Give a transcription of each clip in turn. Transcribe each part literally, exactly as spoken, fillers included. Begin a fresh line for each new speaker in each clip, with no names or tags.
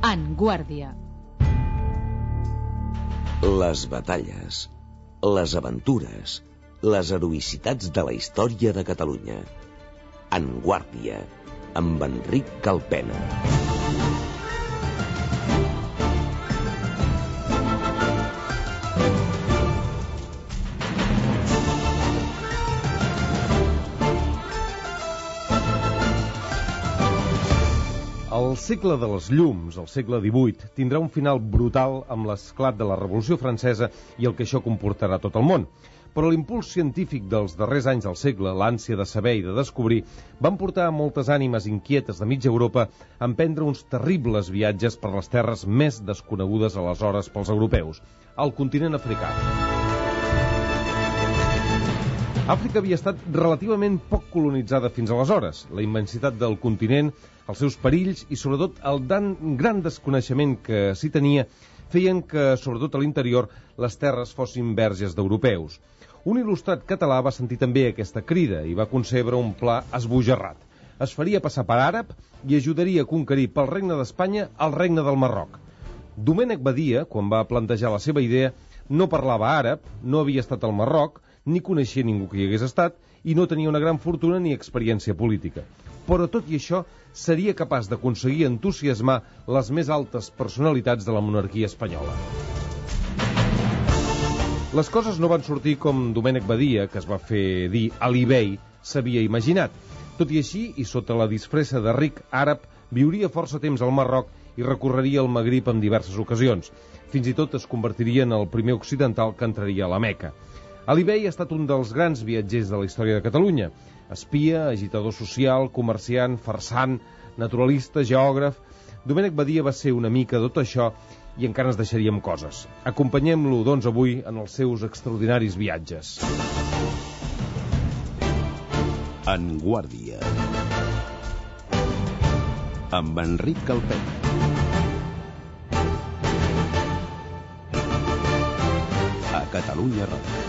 En Guàrdia.
Les batalles, les aventures, les heroïcitats de la història de Catalunya. En Guàrdia, amb Enric Calpena.
El segle de les llums, el segle divuit, tindrà un final brutal amb l'esclat de la Revolució Francesa i el que això comportarà a tot el món. Però l'impuls científic dels darrers anys del segle, l'ànsia de saber i de descobrir, van portar a moltes ànimes inquietes de mitja Europa a emprendre uns terribles viatges per les terres més desconegudes aleshores pels europeus, el continent africà. Àfrica havia estat relativament poc colonitzada fins aleshores. La immensitat del continent, els seus perills i, sobretot, el dan, gran desconeixement que s'hi tenia feien que, sobretot a l'interior, les terres fossin verges d'europeus. Un il·lustrat català va sentir també aquesta crida i va concebre un pla esbojarrat. Es faria passar per àrab i ajudaria a conquerir pel regne d'Espanya el regne del Marroc. Domènec Badia, quan va plantejar la seva idea, no parlava àrab, no havia estat al Marroc, ni coneixia ningú que hi hagués estat i no tenia una gran fortuna ni experiència política. Però tot i això seria capaç d'aconseguir entusiasmar les més altes personalitats de la monarquia espanyola. Les coses no van sortir com Domènec Badia, que es va fer dir Ali Bey, s'havia imaginat. Tot i així, i sota la disfressa de ric àrab, viuria força temps al Marroc i recorreria el Magrib en diverses ocasions. Fins i tot es convertiria en el primer occidental que entraria a la Meca. Ali Bey ha estat un dels grans viatgers de la història de Catalunya. Espia, agitador social, comerciant, farsant, naturalista, geògraf... Domènec Badia va ser una mica tot això i encara ens deixaríem coses. Acompanyem-lo, doncs, avui en els seus extraordinaris viatges.
En Guàrdia, amb Enric Calpena. A Catalunya Ràdio.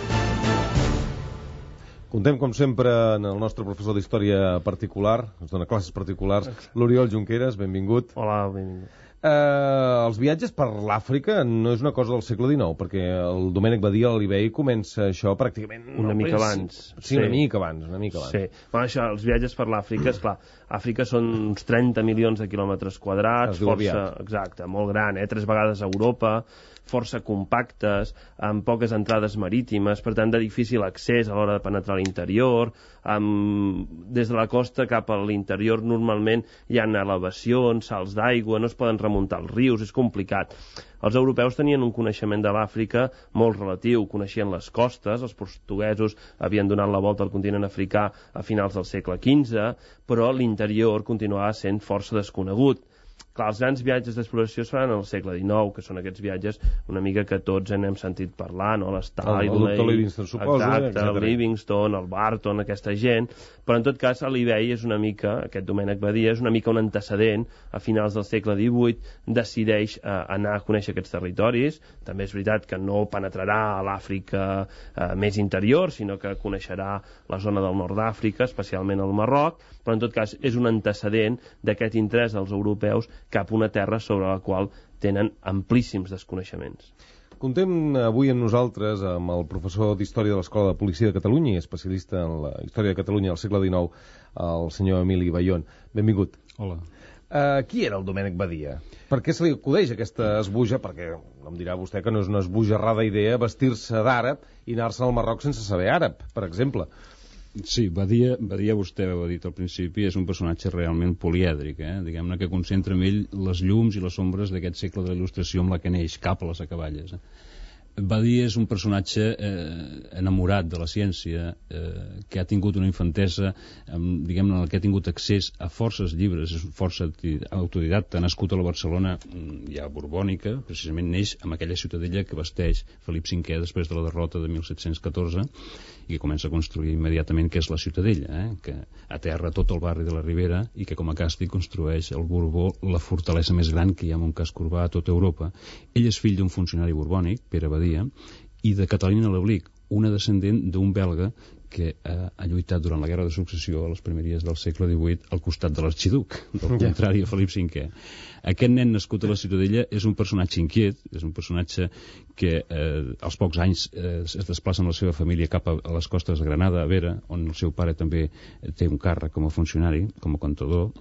Contem, com sempre, en el nostre professor d'història particular, ens dona classes particulars, l'Oriol Junqueras, benvingut.
Hola, benvingut.
Eh, els viatges per l'Àfrica no és una cosa del segle dinou, perquè el Domènec Badia, l'Ali Bey, comença això pràcticament...
Una
no,
mica abans.
Sí, sí, una mica abans, una mica abans.
Sí. Bueno, això, els viatges per l'Àfrica, esclar, Àfrica són uns trenta milions de quilòmetres quadrats, força, exacte, molt gran, eh? Tres vegades a Europa, força compactes, amb poques entrades marítimes, per tant de difícil accés a l'hora de penetrar a l'interior. Amb... Des de la costa cap a l'interior normalment hi ha elevacions, salts d'aigua, no es poden remuntar els rius, és complicat. Els europeus tenien un coneixement de l'Àfrica molt relatiu, coneixien les costes, els portuguesos havien donat la volta al continent africà a finals del segle quinze, però l'interior continuava sent força desconegut. Clar, els grans viatges d'exploració es fan al segle dinou, que són aquests viatges una mica que tots en hem sentit parlar, no? L'Stanley,
el doctor Livingstone, suposo,
exacte,
etcètera.
El Livingstone, el Barton, aquesta gent, però en tot cas Ali Bey és una mica, aquest Domènec Badia, és una mica un antecedent, a finals del segle divuit, decideix eh, anar a conèixer aquests territoris. També és veritat que no penetrarà a l'Àfrica eh, més interior, sinó que coneixerà la zona del nord d'Àfrica, especialment el Marroc, però en tot cas és un antecedent d'aquest interès dels europeus cap a una terra sobre la qual tenen amplíssims desconeixements.
Contem avui amb nosaltres amb el professor d'Història de l'Escola de Policia de Catalunya i especialista en la història de Catalunya al segle dinou, el senyor Emili Bayón. Benvingut.
Hola.
Uh, qui era el Domènec Badia? Per què se li acudeix aquesta esbuja? Perquè em dirà vostè que no és una esbojarrada idea vestir-se d'àrab i anar-se al Marroc sense saber àrab, per exemple.
Sí, Badia, Badia, vostè ho ha dit al principi, és un personatge realment polièdric, eh? Diguem-ne que concentra en ell les llums i les ombres d'aquest segle de la il·lustració amb la que neix, cap a les acaballes. Eh? Badia és un personatge eh, enamorat de la ciència, eh, que ha tingut una infantesa, eh, diguem-ne, en el que ha tingut accés a forces llibres, és força autodidacta, nascut a la Barcelona ja borbònica, precisament neix amb aquella ciutadella que vesteix Felip cinquè després de la derrota de mil set-cents catorze, i que comença a construir immediatament, que és la Ciutadella, eh? Que aterra tot el barri de la Ribera i que com a càstig construeix el Borbó la fortalesa més gran que hi ha en un casc urbà a tota Europa. Ell és fill d'un funcionari borbònic, Pere Badia, i de Catalina Lablic, una descendent d'un belga que ha, ha lluitat durant la Guerra de Successió a les primeries del segle divuit al costat de l'arxiduc, del contrari a Felip cinquè. Aquest nen nascut a la Ciutadella és un personatge inquiet, és un personatge que eh, als pocs anys eh, es desplaça amb la seva família cap a, a les costes de Granada, a Vera, on el seu pare també té un càrrec com a funcionari, com a contador,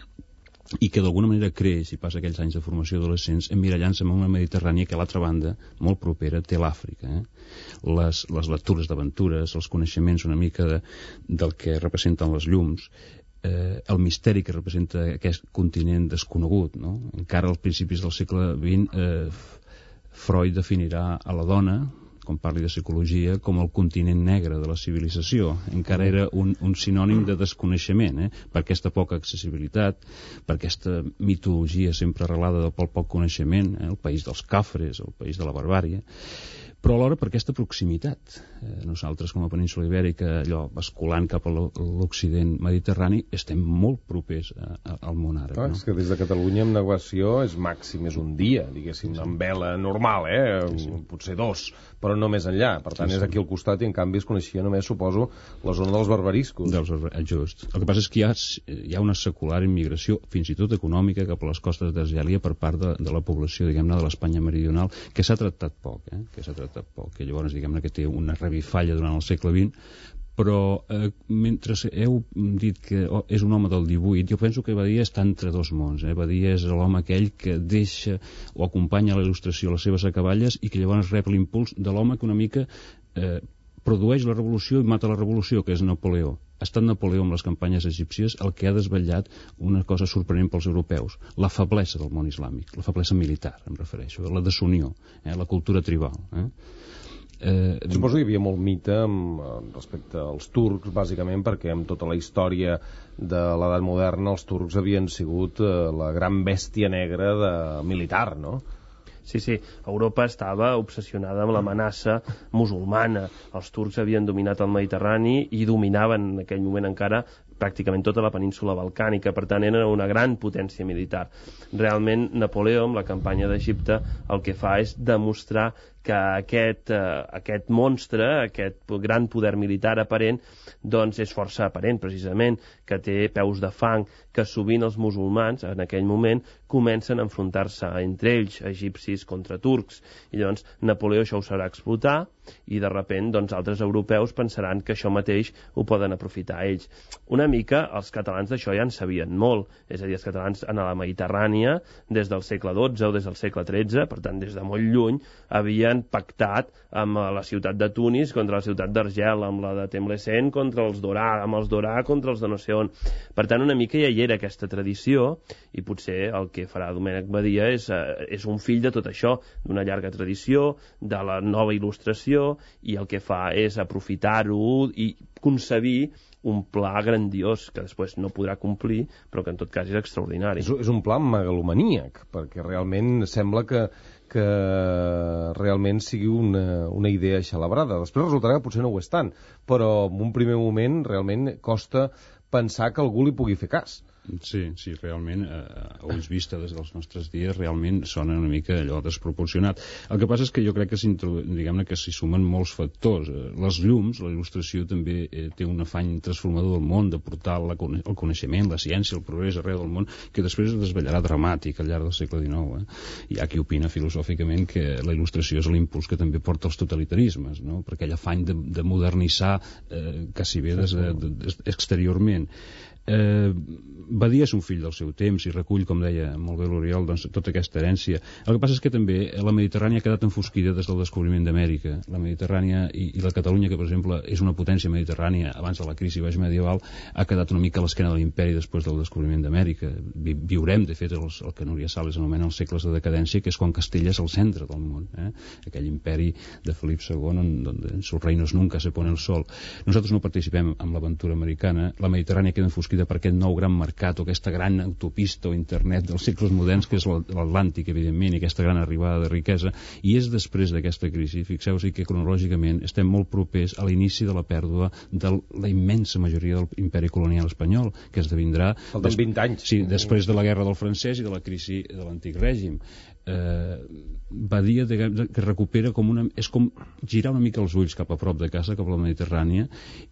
i que d'alguna manera creix i passa aquells anys de formació adolescents emmirallant-se en una Mediterrània que a l'altra banda, molt propera, té l'Àfrica. Eh? Les, les lectures d'aventures, els coneixements una mica de, del que representen les llums, eh, el misteri que representa aquest continent desconegut. No? Encara als principis del segle vint, eh, Freud definirà a la dona, quan parli de psicologia, com el continent negre de la civilització. Encara era un, un sinònim de desconeixement, eh? Per aquesta poca accessibilitat, per aquesta mitologia sempre arrelada pel poc coneixement, eh? El país dels cafres, el país de la barbàrie, però alhora per aquesta proximitat. Eh, nosaltres, com a península ibèrica, allò, basculant cap a l'Occident mediterrani, estem molt propers a, a, al món àrab.
Ah,
no?
És que des de Catalunya amb navegació és màxim, és un dia, diguéssim, sí, sí. Amb vela normal, eh? Sí, sí. Potser dos, però no més enllà. Per tant, sí, sí. És aquí al costat i en canvi es coneixia només, suposo, la zona dels barbariscos.
Dels barbar... Just. El que passa és que hi ha, hi ha una secular immigració, fins i tot econòmica, cap a les costes d'Argèlia per part de, de la població, diguem-ne, de l'Espanya meridional, que s'ha tractat poc, eh? que s'ha tractat poc, que llavors, diguem-ne, que té una revifalla durant el segle vint, però eh, mentre heu dit que oh, és un home del divuit, jo penso que Badia està entre dos mons. Eh? Badia és l'home aquell que deixa o acompanya la il·lustració a les seves acaballes i que llavors rep l'impuls de l'home que una mica eh, produeix la revolució i mata la revolució, que és Napoleó. Ha estat Napoleó amb les campanyes egípcies el que ha desvetllat una cosa sorprenent pels europeus, la feblesa del món islàmic, la feblesa militar, em refereixo, la desunió, eh? La cultura tribal. Eh?
Eh, Suposo que hi havia molt mite amb, respecte als turcs, bàsicament, perquè amb tota la història de l'edat moderna els turcs havien sigut eh, la gran bèstia negra de militar, no?
Sí, sí, Europa estava obsessionada amb l'amenaça musulmana. Els turcs havien dominat el Mediterrani i dominaven en aquell moment encara pràcticament tota la península balcànica, per tant era una gran potència militar. Realment Napoleó, amb la campanya d'Egipte, el que fa és demostrar que aquest, eh, aquest monstre, aquest gran poder militar aparent, doncs és força aparent, precisament, que té peus de fang, que sovint els musulmans, en aquell moment, comencen a enfrontar-se entre ells, egipcis contra turcs, i llavors Napoleó això ho sabrà explotar, i de sobte doncs, altres europeus pensaran que això mateix ho poden aprofitar ells. Una mica els catalans d'això ja en sabien molt, és a dir, els catalans en la Mediterrània, des del segle dotze o des del segle tretze, per tant des de molt lluny, havien pactat amb la ciutat de Tunis contra la ciutat d'Argel, amb la de Temlesen contra els Dorà, amb els Dorà contra els de no sé on. Per tant, una mica ja hi era aquesta tradició, i potser el que farà Domènec Badia és, eh, és un fill de tot això, d'una llarga tradició, de la nova il·lustració, i el que fa és aprofitar-ho i concebir un pla grandiós que després no podrà complir, però que en tot cas és extraordinari.
És, és un pla megalomaníac, perquè realment sembla que, que realment sigui una, una idea xalabrada. Després resultarà que potser no ho és tant, però en un primer moment realment costa pensar que algú li pugui fer cas.
Sí, sí, realment, eh, a ulls vista des dels nostres dies, realment sona una mica allò desproporcionat. El que passa és que jo crec que s'hi diguem-ne que s'hi sumen molts factors. Les llums, la il·lustració també eh, té un afany transformador del món, de portar la, el coneixement, la ciència, el progrés arreu del món, que després es desvetllarà dramàtic al llarg del segle dinou. Eh? Hi ha qui opina filosòficament que la il·lustració és l'impuls que també porta els totalitarismes, no? Per aquell afany de, de modernitzar eh, quasi bé des, de, de, exteriorment. Eh, Badia és un fill del seu temps i recull, com deia molt bé l'Oriol, doncs, tota aquesta herència. El que passa és que també la Mediterrània ha quedat enfosquida des del descobriment d'Amèrica. La Mediterrània i, i la Catalunya, que per exemple és una potència mediterrània abans de la crisi baix medieval, ha quedat una mica a l'esquena de l'imperi després del descobriment d'Amèrica. Vi, viurem, de fet, els, el que Núria Sales anomena els segles de decadència, que és quan Castella és el centre del món. Eh? Aquell imperi de Felip segon, on, on en sus reinos nunca se pone el sol. Nosaltres no participem en l'aventura americana. La Mediterrània queda enfosquida per aquest nou gran mercat o aquesta gran autopista o internet dels segles moderns, que és l'Atlàntic, evidentment, i aquesta gran arribada de riquesa, i és després d'aquesta crisi, fixeu-vos que cronològicament estem molt propers a l'inici de la pèrdua de la immensa majoria del imperi colonial espanyol, que esdevindrà...
Falten vint anys.
Sí, després de la guerra del francès i de la crisi de l'antic règim. eh, Badia que recupera com una... és com girar una mica els ulls cap a prop de casa, cap a la Mediterrània,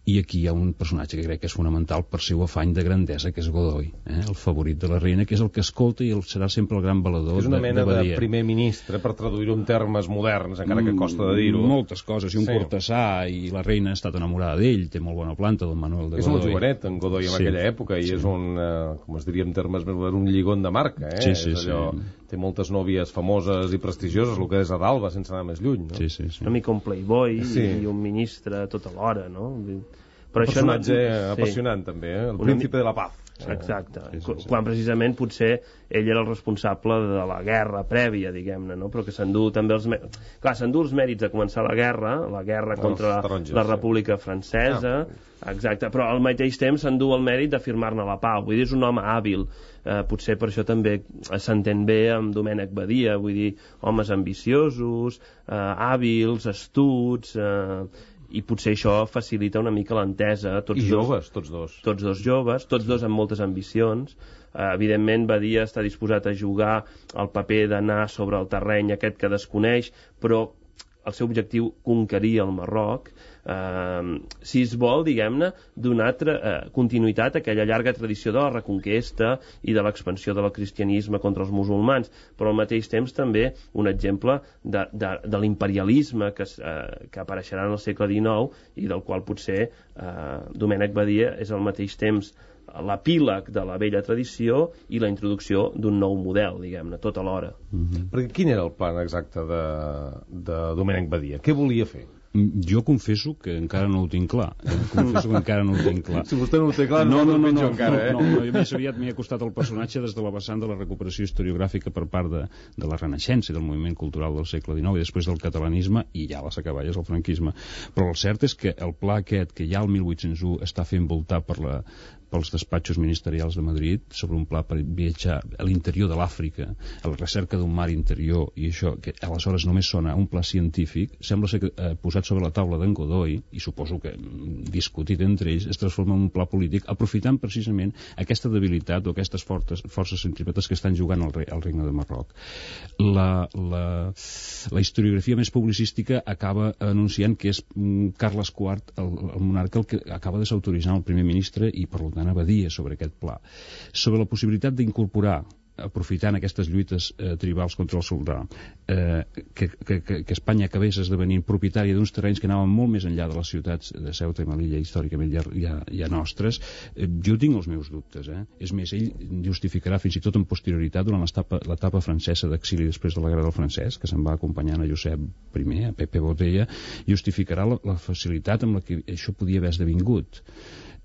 i aquí hi ha un personatge que crec que és fonamental per seu afany de grandesa, que és Godoy, eh? el favorit de la reina, que és el que escolta i el serà sempre el gran valedor de Badia.
És una mena de, de primer ministre, per traduir-ho en termes moderns, encara que costa de dir-ho.
Moltes coses, i un sí. cortesà, i la reina ha estat enamorada d'ell, té molt bona planta, don Manuel de Godoy.
És un jovenet, en Godoy, en sí. aquella època, i sí. és un, uh, com es diria en termes més moderns, un lligon de marca, eh?
Sí, sí,
és allò...
sí.
Té moltes nòvies famoses i prestigioses, el que és a d'Alba, sense anar més lluny, no?
Sí, sí, sí.
Una mica un playboy sí. i un ministre tota l'hora, no?
Però un personatge no... apassionant, sí. també, eh? El Una... príncipe de la paz.
Exacte, sí, sí, sí. Quan precisament potser ell era el responsable de la guerra prèvia, diguem-ne, no? Però que s'endú també els... Clar, s'endú els mèrits de començar la guerra, la guerra contra la, la República Francesa, ah. exacte, però al mateix temps s'endú el mèrit de firmar-ne la pau, vull dir, és un home hàbil, eh, potser per això també s'entén bé amb Domènec Badia, vull dir, homes ambiciosos, eh, hàbils, astuts... Eh, i potser això facilita una mica l'entesa.
I joves, tots dos.
Tots dos joves, tots dos amb moltes ambicions. Uh, evidentment, Badia està disposat a jugar el paper d'anar sobre el terreny aquest que desconeix, però el seu objectiu conquerir el Marroc, eh, si es vol, diguem-ne, donar eh, continuïtat a aquella llarga tradició de la reconquesta i de l'expansió del cristianisme contra els musulmans, però al mateix temps també un exemple de, de, de l'imperialisme que, eh, que apareixerà en el segle dinou i del qual potser eh, Domènec Badia és al mateix temps l'epíleg de la vella tradició i la introducció d'un nou model, diguem-ne, tot alhora.
Mm-hmm. Perquè quin era el plan exacte de, de Domènec Badia? Què volia fer?
Jo confesso que encara no ho tinc clar. Confesso que encara no ho tinc clar.
Si vostè no ho té clar,
no, no, no,
no,
no,
encara, eh?
no, no, no, més aviat m'hi ha costat el personatge des de la vessant de la recuperació historiogràfica per part de, de la Renaixença i del moviment cultural del segle dinou i després del catalanisme i ja les acaballes del franquisme. Però el cert és que el pla aquest, que ja el mil vuit-cents u està fent voltar per la, pels despatxos ministerials de Madrid sobre un pla per viatjar a l'interior de l'Àfrica, a la recerca d'un mar interior, i això, que aleshores només sona un pla científic, sembla ser que eh, posat sobre la taula d'en Godoy, i suposo que discutit entre ells, es transforma en un pla polític, aprofitant precisament aquesta debilitat o aquestes fortes, forces centrípetes que estan jugant al, re, al regne de Marroc. La, la, la historiografia més publicística acaba anunciant que és mm, Carles quart, el, el monarca, el que acaba desautoritzant el primer ministre i, per tant, Badia sobre aquest pla, sobre la possibilitat d'incorporar, aprofitant aquestes lluites eh, tribals contra el soldà, eh, que, que, que Espanya acabés esdevenint propietària d'uns terrenys que anaven molt més enllà de les ciutats de Ceuta i Melilla, històricament ja, ja, ja nostres, eh, jo tinc els meus dubtes. Eh? És més, ell justificarà fins i tot en posterioritat, durant l'etapa francesa d'exili després de la Guerra del Francès, que se'n va acompanyant a Josep I, a Pepe Botella, justificarà la, la facilitat amb la que això podia haver esdevingut.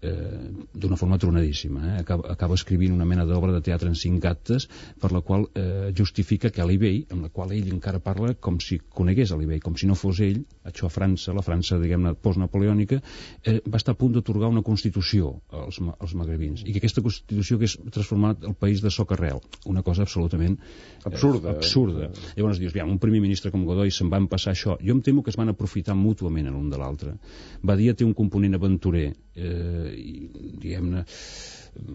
Eh, d'una forma tronadíssima, eh? acaba, acaba escrivint una mena d'obra de teatre en cinc actes per la qual eh, justifica que Ali Bey, amb la qual ell encara parla com si conegués Ali Bey, com si no fos ell, això a França, la França, diguem-ne, postnapoleònica, eh, va estar a punt d'atorgar una constitució als, als magrebins, i que aquesta constitució hagués transformat el país de socarrel, una cosa absolutament eh,
absurda.
absurda. Eh? Llavors dius, un primer ministre com Godoy se'n va empassar això. Jo em temo que es van aprofitar mútuament l'un de l'altre. Badia té un component aventurer, eh, i, diguem-ne,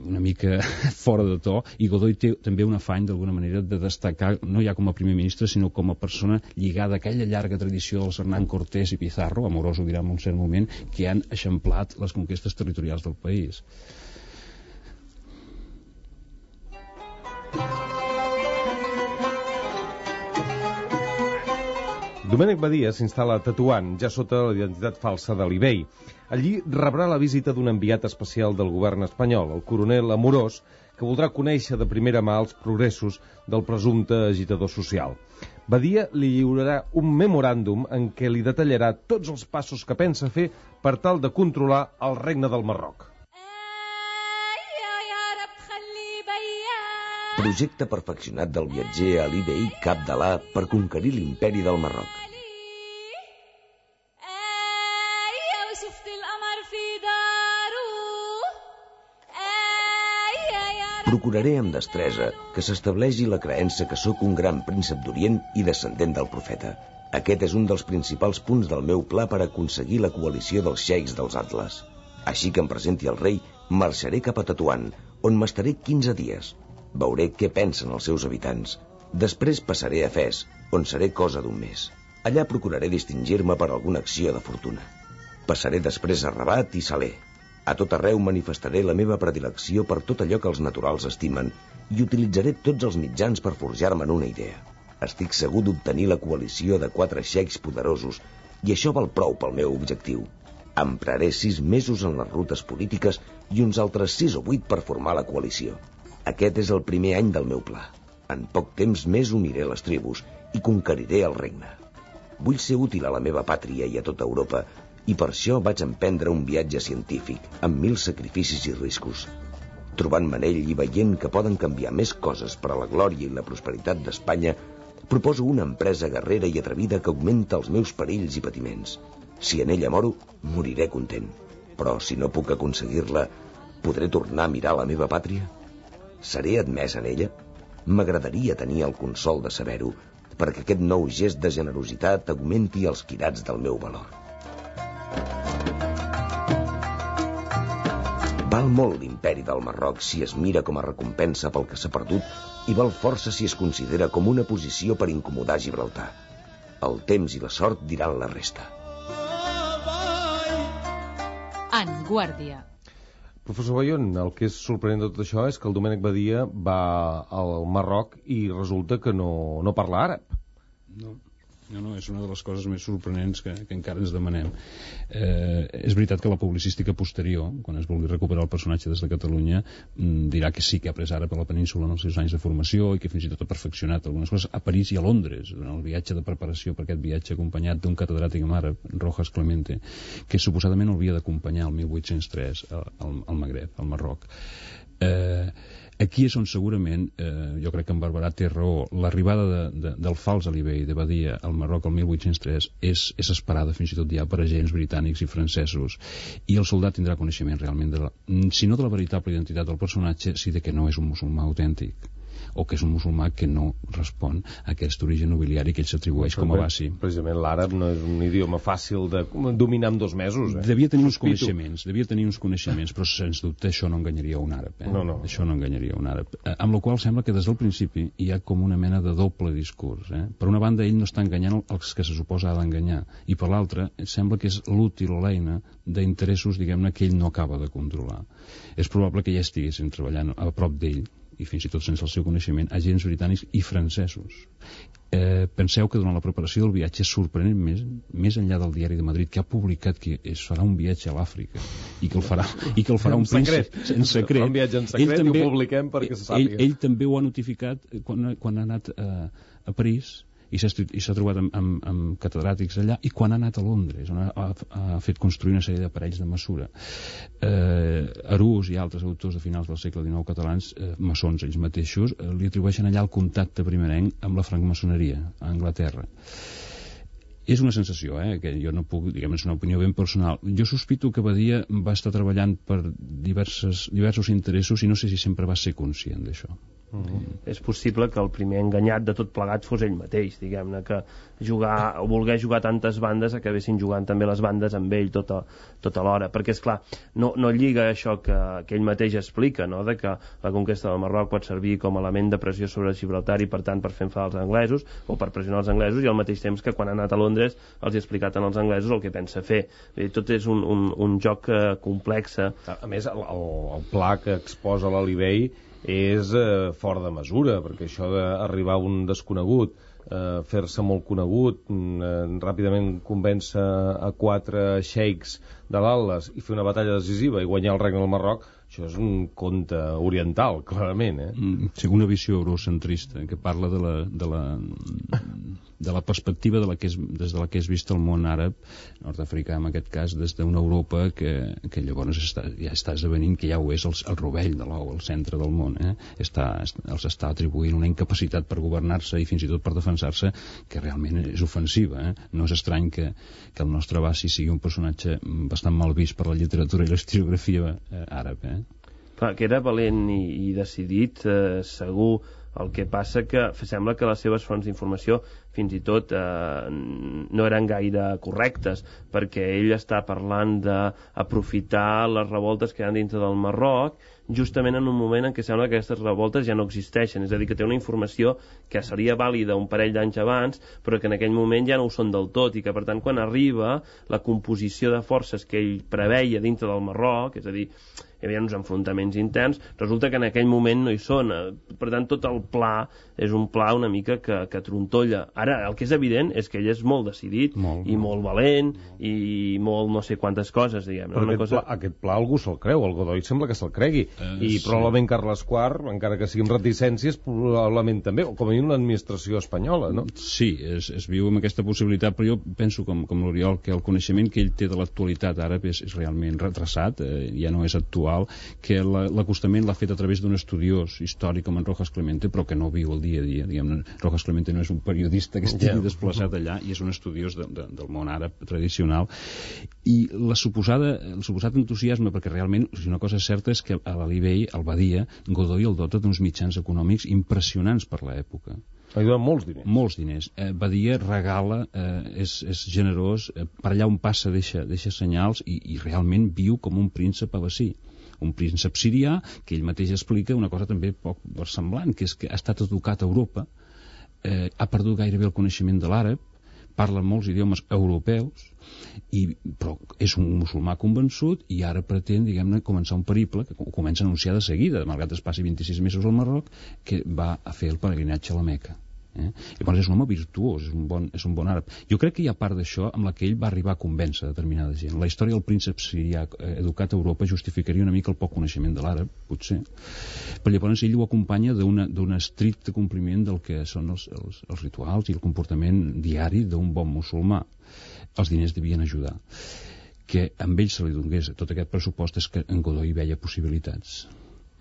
una mica fora de to, i Godoy té també un afany d'alguna manera de destacar, no ja com a primer ministre, sinó com a persona lligada a aquella llarga tradició dels Hernán Cortés i Pizarro, amoroso dirà en un cert moment, que han eixamplat les conquestes territorials del país.
Domènec Badia s'instal·la a Tetuan, ja sota la identitat falsa d'Ali Bey. Allí rebrà la visita d'un enviat especial del govern espanyol, el coronel Amorós, que voldrà conèixer de primera mà els progressos del presumpte agitador social. Badia li lliurarà un memoràndum en què li detallarà tots els passos que pensa fer per tal de controlar el regne del Marroc.
Projecte perfeccionat del viatger Ali Bey Abdallah per conquerir l'imperi del Marroc. Procuraré amb destresa que s'estableixi la creença que sóc un gran príncep d'Orient i descendent del profeta. Aquest és un dels principals punts del meu pla per aconseguir la coalició dels xeics dels Atles. Així que em presenti el rei, marxaré cap a Tetuan, on m'estaré quinze dies. Veuré què pensen els seus habitants. Després passaré a Fes, on seré cosa d'un mes. Allà procuraré distingir-me per alguna acció de fortuna. Passaré després a Rabat i Salé. A tot arreu manifestaré la meva predilecció per tot allò que els naturals estimen i utilitzaré tots els mitjans per forjar-me'n una idea. Estic segur d'obtenir la coalició de quatre xeics poderosos i això val prou pel meu objectiu. Empraré sis mesos en les rutes polítiques i uns altres sis o vuit per formar la coalició. Aquest és el primer any del meu pla. En poc temps més uniré les tribus i conqueriré el regne. Vull ser útil a la meva pàtria i a tota Europa, i per això vaig emprendre un viatge científic, amb mil sacrificis i riscos. Trobant-me en ell i veient que poden canviar més coses per a la glòria i la prosperitat d'Espanya, proposo una empresa guerrera i atrevida que augmenta els meus perills i patiments. Si en ella moro, moriré content. Però si no puc aconseguir-la, podré tornar a mirar la meva pàtria? Seré admès en ella? M'agradaria tenir el consol de saber-ho, perquè aquest nou gest de generositat augmenti els quirats del meu valor. Val molt l'imperi del Marroc si es mira com a recompensa pel que s'ha perdut i val força si es considera com una posició per incomodar Gibraltar. El temps i la sort diran la resta.
En Guàrdia.
Professor Bayón, el que és sorprenent de tot això és que el Domènec Badia va al Marroc i resulta que no, no parla àrab.
No, no, no, és una de les coses més sorprenents que, que encara ens demanem. Eh, és veritat que la publicística posterior, quan es vulgui recuperar el personatge des de Catalunya, dirà que sí que ha après àrab a la península en els seus anys de formació i que fins i tot ha perfeccionat algunes coses a París i a Londres, durant el viatge de preparació per aquest viatge acompanyat d'un catedràtic en àrab, Rojas Clemente, que suposadament el havia d'acompanyar el mil vuit-cents tres al, al Magreb, al Marroc. Eh, aquí és on segurament, eh, jo crec que en Barberà té raó, l'arribada de, de, del fals Alibey de Badia al Marroc el mil vuit-cents tres és, és esperada fins i tot ja per agents britànics i francesos, i el soldat tindrà coneixement realment de la, si no de la veritable identitat del personatge, sí de que no és un musulmà autèntic, o que és un musulmà que no respon a aquest origen nobiliari que ell s'atribueix com a basi.
Precisament l'àrab no és un idioma fàcil de dominar en dos mesos. Eh?
Devia tenir uns coneixements, devia tenir uns coneixements, però sens dubte això no enganyaria un àrab. Eh?
No, no.
Això no enganyaria un àrab. Eh, amb la qual sembla que des del principi hi ha com una mena de doble discurs. Eh? Per una banda, ell no està enganyant els que se suposa ha d'enganyar, i per l'altra, sembla que és l'útil o l'eina d'interessos, diguem-ne, que ell no acaba de controlar. És probable que ja estiguessin treballant a prop d'ell, i fins i tot sense el seu coneixement, agents britànics i francesos. Eh, penseu que durant la preparació del viatge és sorprenent més, més enllà del Diari de Madrid, que ha publicat que es farà un viatge a l'Àfrica i que el farà, i que el farà un príncep en secret.
Un viatge en secret també, i ho publiquem perquè se sàpiga.
Ell, ell també ho ha notificat quan, quan ha anat a, a París i s'ha trobat amb, amb, amb catedràtics allà, i quan ha anat a Londres, on ha, ha, ha fet construir una sèrie d'aparells de mesura. Eh, Arús i altres autors de finals del segle dinou catalans, eh, maçons ells mateixos, eh, li atribueixen allà el contacte primerenc amb la francmaçoneria a Anglaterra. És una sensació, eh, que jo no puc, diguem, és una opinió ben personal. Jo sospito que Badia va estar treballant per diverses, diversos interessos i no sé si sempre va ser conscient d'això.
Mm-hmm. És possible que el primer enganyat de tot plegat fos ell mateix, diguem-ne, que jugar, o voler jugar tantes bandes acabessin jugant també les bandes amb ell tota, tota l'hora, perquè és clar, no, no lliga això que, que ell mateix explica, no? De que la conquesta del Marroc pot servir com a element de pressió sobre Gibraltar i per tant per fer enfadar els anglesos o per pressionar els anglesos, i al mateix temps que quan ha anat a Londres els ha explicat als anglesos el que pensa fer. Dir, tot és un, un, un joc eh, complex.
A més, el, el, el pla que exposa l'Alibey és eh, fora de mesura, perquè això d'arribar a un desconegut, eh, fer-se molt conegut, eh, ràpidament convèncer a quatre xeics de l'Atles i fer una batalla decisiva i guanyar el regne del Marroc, això és un conte oriental, clarament. Eh?
Mm, sí, una visió eurocentrista que parla de la, de la, de la perspectiva de la que és, des de la que és vist el món àrab, nord-africà en aquest cas, des d'una Europa que, que llavors està, ja està esdevenint que ja ho és el, el rovell de l'ou, el centre del món. Eh? Està, els està atribuint una incapacitat per governar-se i fins i tot per defensar-se que realment és ofensiva. Eh? No és estrany que, que el nostre Bassi sigui un personatge bastant mal vist per la literatura i l'historiografia eh, àrab. Eh?
Clar, que era valent i, i decidit, eh, segur, El que passa que sembla que les seves fonts d'informació fins i tot eh, no eren gaire correctes, perquè ell està parlant d'aprofitar les revoltes que hi ha dintre del Marroc justament en un moment en què sembla que aquestes revoltes ja no existeixen, és a dir, que té una informació que seria vàlida un parell d'anys abans, però que en aquell moment ja no ho són del tot, i que per tant quan arriba la composició de forces que ell preveia dintre del Marroc, és a dir, hi havia uns enfrontaments interns, resulta que en aquell moment no hi són. Per tant, tot el pla és un pla una mica que, que trontolla. Ara, el que és evident és que ell és molt decidit molt, i molt valent molt. I molt no sé quantes coses, diguem.
Però
una
aquest,
cosa...
pla, aquest pla algú se'l creu, el Godoy sembla que se'l cregui. Uh, I sí. Probablement Carles quart, encara que sigui amb reticències, probablement també, o com a mínim l'administració espanyola, no?
Sí, es, es viu amb aquesta possibilitat, però jo penso, com, com l'Oriol, que el coneixement que ell té de l'actualitat àrab és, és realment retrasat, eh, ja no és actual, que l'acostament l'ha fet a través d'un estudiós històric com en Rojas Clemente, però que no viu el dia a dia. Diguem, Rojas Clemente no és un periodista que estigui yeah. desplaçat allà, i és un estudiós de, de, del món àrab tradicional. I la suposada, el suposat entusiasme, perquè realment, si una cosa certa és que a l'Alibey, al Badia, Godoy el dota d'uns mitjans econòmics impressionants per l'època.
Ha donat molts diners.
Molts diners. Eh, Badia regala, eh, és, és generós, eh, per allà on passa deixa, deixa senyals, i, i realment viu com un príncep abací. Un príncep sirià, que ell mateix explica una cosa també poc versemblant, que és que ha estat educat a Europa, eh, ha perdut gairebé el coneixement de l'àrab, parla molts idiomes europeus, i, però és un musulmà convençut, i ara pretén, diguem-ne, començar un periple, que comença a anunciar de seguida, malgrat es passi vint-i-sis mesos al Marroc, que va a fer el peregrinatge a la Meca. Eh? Llavors és un home virtuós, és un bon, és un bon àrab. Jo crec que hi ha part d'això amb la que ell va arribar a convèncer determinada gent. La història del príncep sirià educat a Europa justificaria una mica el poc coneixement de l'àrab, potser, però llavors ell ho acompanya d'un estricte compliment del que són els, els, els rituals i el comportament diari d'un bon musulmà. Els diners devien ajudar. Que amb ell se li donés tot aquest pressupost és que en Godoy veia possibilitats.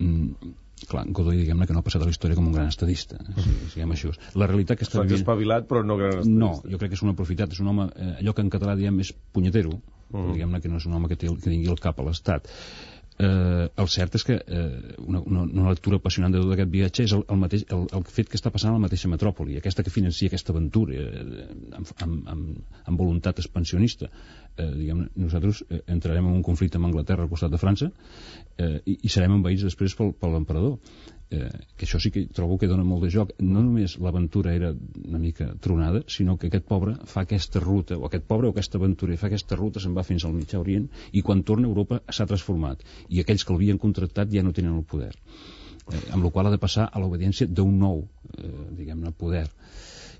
Mm. Clar, Godoy, diguem-ne, que no ha passat a la història com un gran estadista, si diguem això. La realitat que està
vivint... espavilat, però no gran estadista.
No, jo crec que és un aprofitat, és un home, eh, allò que en català diem és punyetero, mm. diguem-ne que no és un home que, té, que tingui el cap a l'estat. Eh, el cert és que eh, una, una, una lectura apassionant de tot aquest viatge és el, el, mateix, el, el fet que està passant a la mateixa metròpoli, aquesta que financia aquesta aventura eh, amb, amb, amb, amb voluntat expansionista. Eh, diguem, nosaltres eh, entrarem en un conflicte amb Anglaterra al costat de França, eh, i, i serem envaïts després pel, per l'emperador, eh, que això sí que trobo que dona molt de joc. No només l'aventura era una mica tronada, sinó que aquest pobre fa aquesta ruta, o aquest pobre o aquesta aventura fa aquesta ruta, se'n va fins al Mitjà Orient, i quan torna a Europa s'ha transformat, i aquells que l'havien contractat ja no tenen el poder, eh, amb la qual ha de passar a l'obediència d'un nou eh, diguem-ne poder,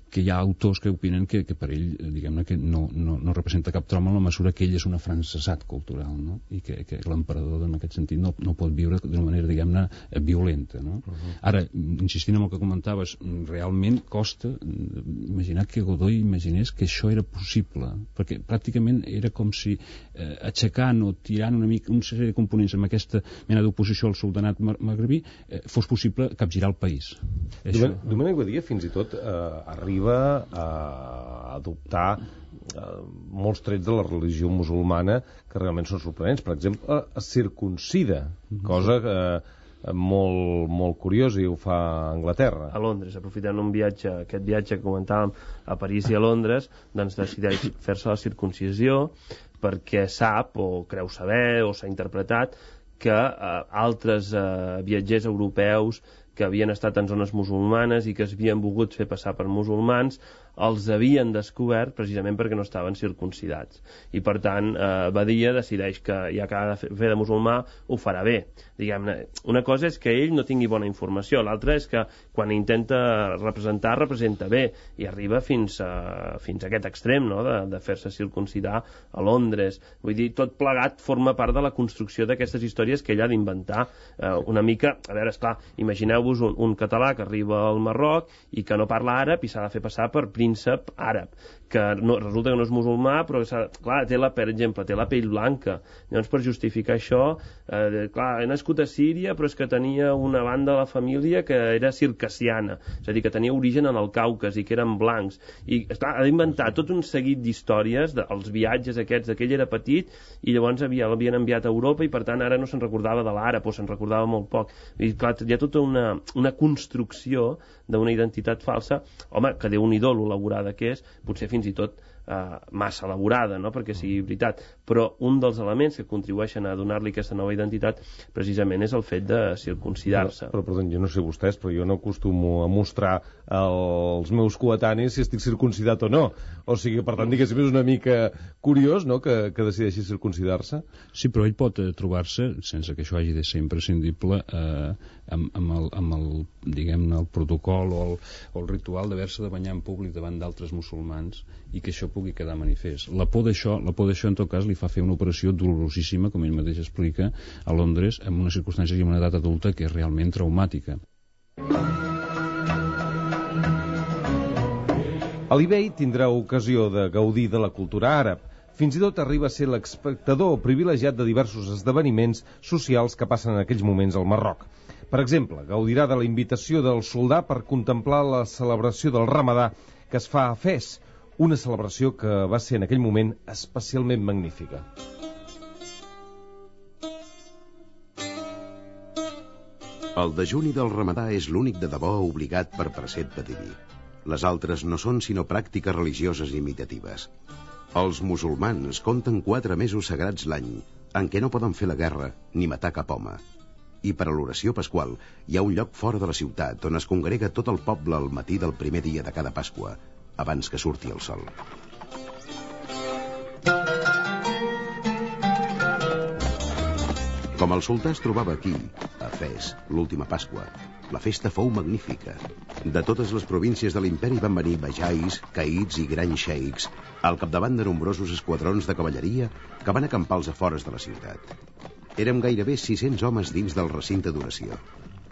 que hi ha autors que opinen que, que per ell, diguem-ne, que no, no, no representa cap trauma en la mesura que ell és un afrancesat cultural, no? I que, que l'emperador, en aquest sentit, no, no pot viure d'una manera, diguem-ne, violenta, no? Uh -huh. Ara, insistint en el que comentaves, realment costa imaginar que Godoy imaginés que això era possible, perquè pràcticament era com si eh, aixecant o tirant una mica una sèrie de components amb aquesta mena d'oposició al soldanat magrebí eh, fos possible capgirar el país.
Domènec Badia, fins i tot, eh, arriba a adoptar eh, molts trets de la religió musulmana que realment són sorprenents. Per exemple, es circuncida, cosa eh, molt, molt curiosa, i ho fa a Anglaterra.
A Londres, aprofitant un viatge, aquest viatge que comentàvem a París i a Londres, doncs decideix fer-se la circuncisió perquè sap, o creu saber, o s'ha interpretat que eh, altres eh, viatgers europeus que havien estat en zones musulmanes i que es havien volgut fer passar per musulmans, els havien descobert precisament perquè no estaven circuncidats. I per tant, eh, Badia decideix que ja que ha de fer de musulmà, ho farà bé. Diguem-ne, una cosa és que ell no tingui bona informació, l'altra és que quan intenta representar, representa bé, i arriba fins a, fins a aquest extrem, no?, de, de fer-se circuncidar a Londres. Vull dir, tot plegat forma part de la construcció d'aquestes històries que ell ha d'inventar. Eh, una mica, a veure, esclar, imagineu-vos un, un català que arriba al Marroc i que no parla àrab i s'ha de fer passar per príncep àrab, que no, resulta que no és musulmà, però clar, té la, per exemple, té la pell blanca. Llavors, per justificar això, eh, clar, he nascut a Síria, però és que tenia una banda de la família que era circassiana, és a dir, que tenia origen en el Caucas i que eren blancs. I, esclar, ha d'inventar tot un seguit d'històries dels viatges aquests, que ell era petit i llavors havia, l'havien enviat a Europa i per tant ara no se'n recordava de l'àrab o se'n recordava molt poc. I clar, hi ha tota una, una construcció d'una identitat falsa, home, que Déu-n'hi-do lo elaborada que és, potser fins i tot Uh, massa elaborada, no?, perquè sigui veritat, però un dels elements que contribueixen a donar-li aquesta nova identitat precisament és el fet de circumcidar-se.
Però, però perdó, jo no sé vostès, però jo no acostumo a mostrar als meus coetanis si estic circumcidat o no. O sigui, per tant, diguéssim, és una mica curiós, no?, que, que decideixi circumcidar-se.
Sí, però ell pot eh, trobar-se, sense que això hagi de ser imprescindible, eh, amb, amb, el, amb el, diguem-ne, el protocol o el, o el ritual d'haver-se de banyar en públic davant d'altres musulmans, i que això pugui quedar manifest. La por d'això, la por d'això, en tot cas, li fa fer una operació dolorosíssima, com ell mateix explica, a Londres, en una circumstància i en una edat adulta que és realment traumàtica.
Ali Bey tindrà ocasió de gaudir de la cultura àrab. Fins i tot arriba a ser l'espectador privilegiat de diversos esdeveniments socials que passen en aquells moments al Marroc. Per exemple, gaudirà de la invitació del soldà per contemplar la celebració del Ramadà que es fa a Fes, una celebració que va ser en aquell moment especialment magnífica.
El dejuni del Ramadà és l'únic de debò obligat per precepte diví. Les altres no són sinó pràctiques religioses imitatives. Els musulmans compten quatre mesos sagrats l'any, en què no poden fer la guerra ni matar cap home. I per a l'oració pasqual hi ha un lloc fora de la ciutat on es congrega tot el poble al matí del primer dia de cada Pasqua, abans que surti el sol. Com el sultà es trobava aquí, a Fes, l'última Pasqua, la festa fou magnífica. De totes les províncies de l'imperi van venir bajais, caïds i grans xeics, al capdavant de nombrosos esquadrons de cavalleria que van acampar als afores de la ciutat. Érem gairebé sis-cents homes dins del recinte d'oració.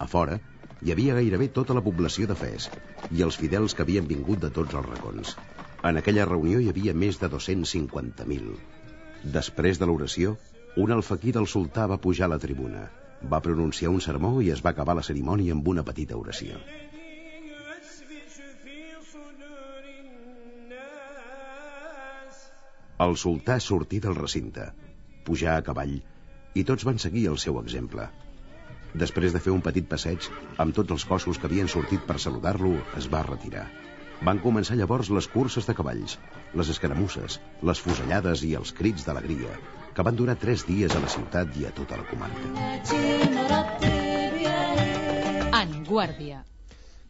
A fora hi havia gairebé tota la població de Fes i els fidels que havien vingut de tots els racons. En aquella reunió hi havia més de dos-cents cinquanta mil. Després de l'oració, un alfaquí del sultà va pujar a la tribuna, va pronunciar un sermó i es va acabar la cerimònia amb una petita oració. El sultà sortí del recinte, pujà a cavall i tots van seguir el seu exemple. Després de fer un petit passeig, amb tots els cossos que havien sortit per saludar-lo, es va retirar. Van començar llavors les curses de cavalls, les escaramusses, les fusellades i els crits d'alegria, que van durar tres dies a la ciutat i a tota la comarca.
En Guàrdia.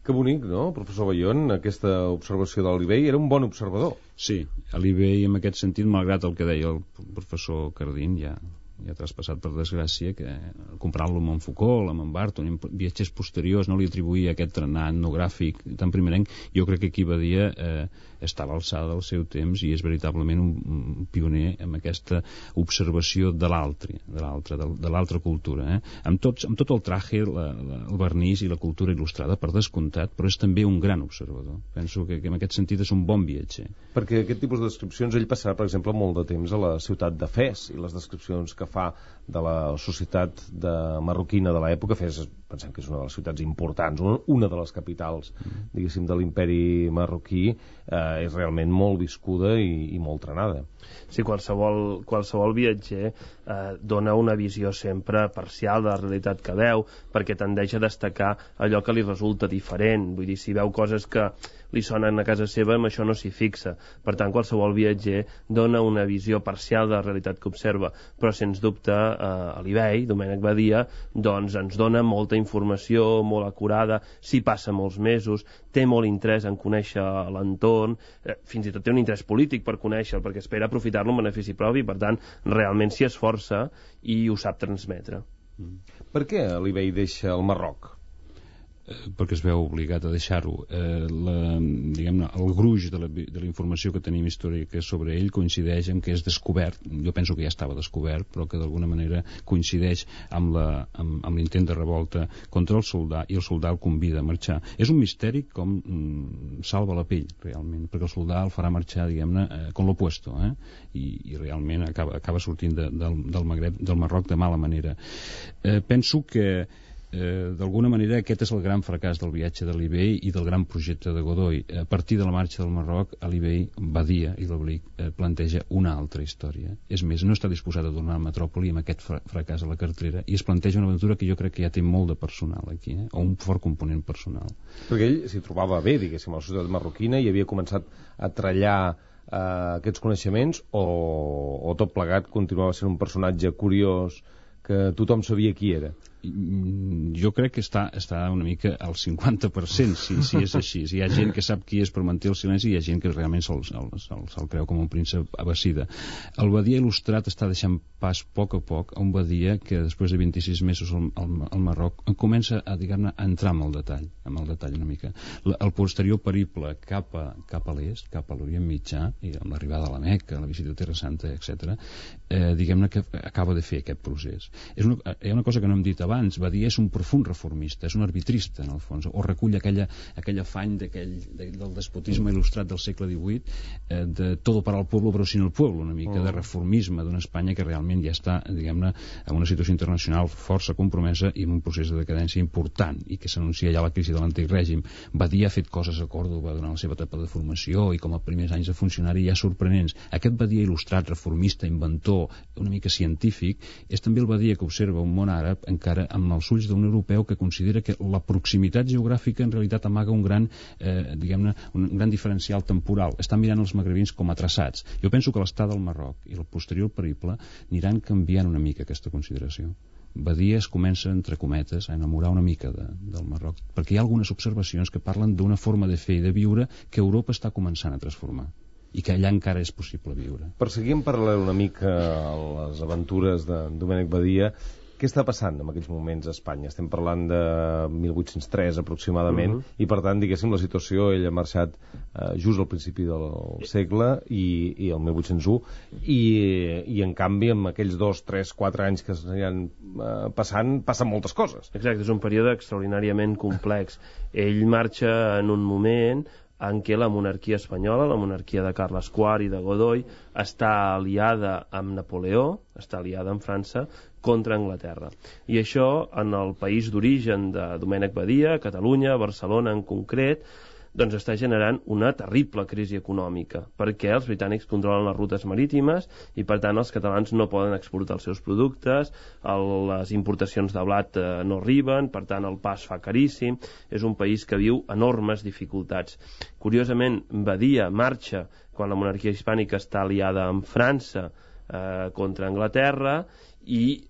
Que bonic, no, professor Bayón, aquesta observació d'Ali Bey. Era un bon observador.
Sí, Ali Bey, en aquest sentit, malgrat el que deia el professor Cardín, ja... ja ha traspassat, per desgràcia, que comparant-lo amb en Foucault, amb en Barton, amb viatgers posteriors, no li atribuïa aquest trenat etnogràfic tan primerenc. Jo crec que aquí Badia eh, està a l'alçada del seu temps i és veritablement un, un pioner amb aquesta observació de l'altre, de l'altre, de, de l'altra cultura. Eh? Amb, tots, amb tot el traje, la, la, el vernís i la cultura il·lustrada, per descomptat, però és també un gran observador. Penso que, que en aquest sentit és un bon viatger.
Perquè aquest tipus de descripcions, ell passarà, per exemple, molt de temps a la ciutat de Fes, i les descripcions que fa de la societat de marroquina de l'època, Fes, pensem que és una de les ciutats importants, una de les capitals, diguéssim, de l'imperi marroquí, eh, és realment molt viscuda i, i molt trenada.
Sí, qualsevol, qualsevol viatger eh, dona una visió sempre parcial de la realitat que veu, perquè tendeix a destacar allò que li resulta diferent. Vull dir, si veu coses que li sonen a casa seva, amb això no s'hi fixa. Per tant, qualsevol viatger dona una visió parcial de la realitat que observa, però sens dubte eh, Ali Bey, Domènec Badia, doncs ens dona molta informació, molt acurada, s'hi passa molts mesos, té molt interès en conèixer l'entorn, eh, fins i tot té un interès polític per conèixer-lo, perquè espera aprofitar-lo en benefici propi, per tant, realment s'hi esforça i ho sap transmetre.
Mm. Per què Ali Bey deixa el Marroc?
Perquè es veu obligat a deixar-ho. Eh, la, diguem-ne, el gruix de la, de la informació que tenim històrica sobre ell coincideix amb que és descobert, jo penso que ja estava descobert, però que d'alguna manera coincideix amb, la, amb, amb l'intent de revolta contra el soldà, i el soldà el convida a marxar. És un misteri com mm, salva la pell, realment, perquè el soldà el farà marxar, diguem-ne, eh, com l'opuesto, eh? I, i realment acaba, acaba sortint de, del, del Magreb, del Marroc, de mala manera. Eh, penso que Eh, d'alguna manera aquest és el gran fracàs del viatge de Libey i del gran projecte de Godoy. A partir de la marxa del Marroc, a Libey, Badia i l'Oblic eh, planteja una altra història. És més, no està disposat a tornar a Metròpoli amb aquest fra fracàs a la cartera i es planteja una aventura que jo crec que ja té molt de personal aquí, eh? O un fort component personal.
Perquè ell s'hi trobava bé, diguéssim, a la societat marroquina i havia començat a trallar eh, aquests coneixements o, o tot plegat continuava sent un personatge curiós que tothom sabia qui era.
Jo crec que està, està una mica al cinquanta per cent, si, si és així. Hi ha gent que sap qui és per mantenir el silenci i hi ha gent que realment se'l se se se creu com un príncep abassida. El Badia il·lustrat està deixant pas a poc a poc a un Badia que després de vint-i-sis mesos al, al, al Marroc comença a, diguem-ne, a entrar amb el detall, amb el detall una mica. La, el posterior periple cap a, cap a l'est, cap a l'Orient Mitjà, i amb l'arribada a la Meca, la visita a Terra Santa, etcètera, eh, diguem-ne que acaba de fer aquest procés. És una, hi ha una cosa que no hem dit abans. Badia és un profund reformista, és un arbitrista en el fons, o recull aquella, aquell afany aquell, de, del despotisme il·lustrat del segle divuit, eh, de todo para el pueblo però sin el pueblo, una mica de reformisme d'una Espanya que realment ja està, diguem-ne, en una situació internacional força compromesa i en un procés de decadència important i que s'anuncia ja la crisi de l'antic règim. Badia ha fet coses a Còrdova durant la seva etapa de formació i com a primers anys de funcionari ja sorprenents. Aquest Badia il·lustrat, reformista, inventor, una mica científic, és també el Badia que observa un món àrab encara amb els ulls d'un europeu que considera que la proximitat geogràfica en realitat amaga un gran, eh, diguem-ne, un gran diferencial temporal. Estan mirant els magrebins com a traçats. Jo penso que l'estat del Marroc i el posterior periple aniran canviant una mica aquesta consideració. Badia es comença, entre cometes, a enamorar una mica de, del Marroc, perquè hi ha algunes observacions que parlen d'una forma de fer i de viure que Europa està començant a transformar i que allà encara és possible viure.
Per seguir en paral·lel una mica a les aventures de Domènec Badia, què està passant en aquests moments a Espanya? Estem parlant de mil vuit-cents tres aproximadament, uh -huh. i per tant, diguéssim, la situació, ell ha marxat eh, just al principi del segle i, i el mil vuit-cents u, i, i en canvi amb aquells dos, tres, quatre anys que s'aniran eh, passant, passen moltes coses.
Exacte, és un període extraordinàriament complex. Ell marxa en un moment en què la monarquia espanyola, la monarquia de Carles quart i de Godoy, està aliada amb Napoleó, està aliada amb França, contra Anglaterra. I això, en el país d'origen de Domènec Badia, Catalunya, Barcelona en concret, doncs està generant una terrible crisi econòmica, perquè els britànics controlen les rutes marítimes i, per tant, els catalans no poden exportar els seus productes, el, les importacions de blat eh, no arriben, per tant, el pa es fa caríssim, és un país que viu enormes dificultats. Curiosament, Badia marxa quan la monarquia hispànica està aliada amb França eh, contra Anglaterra i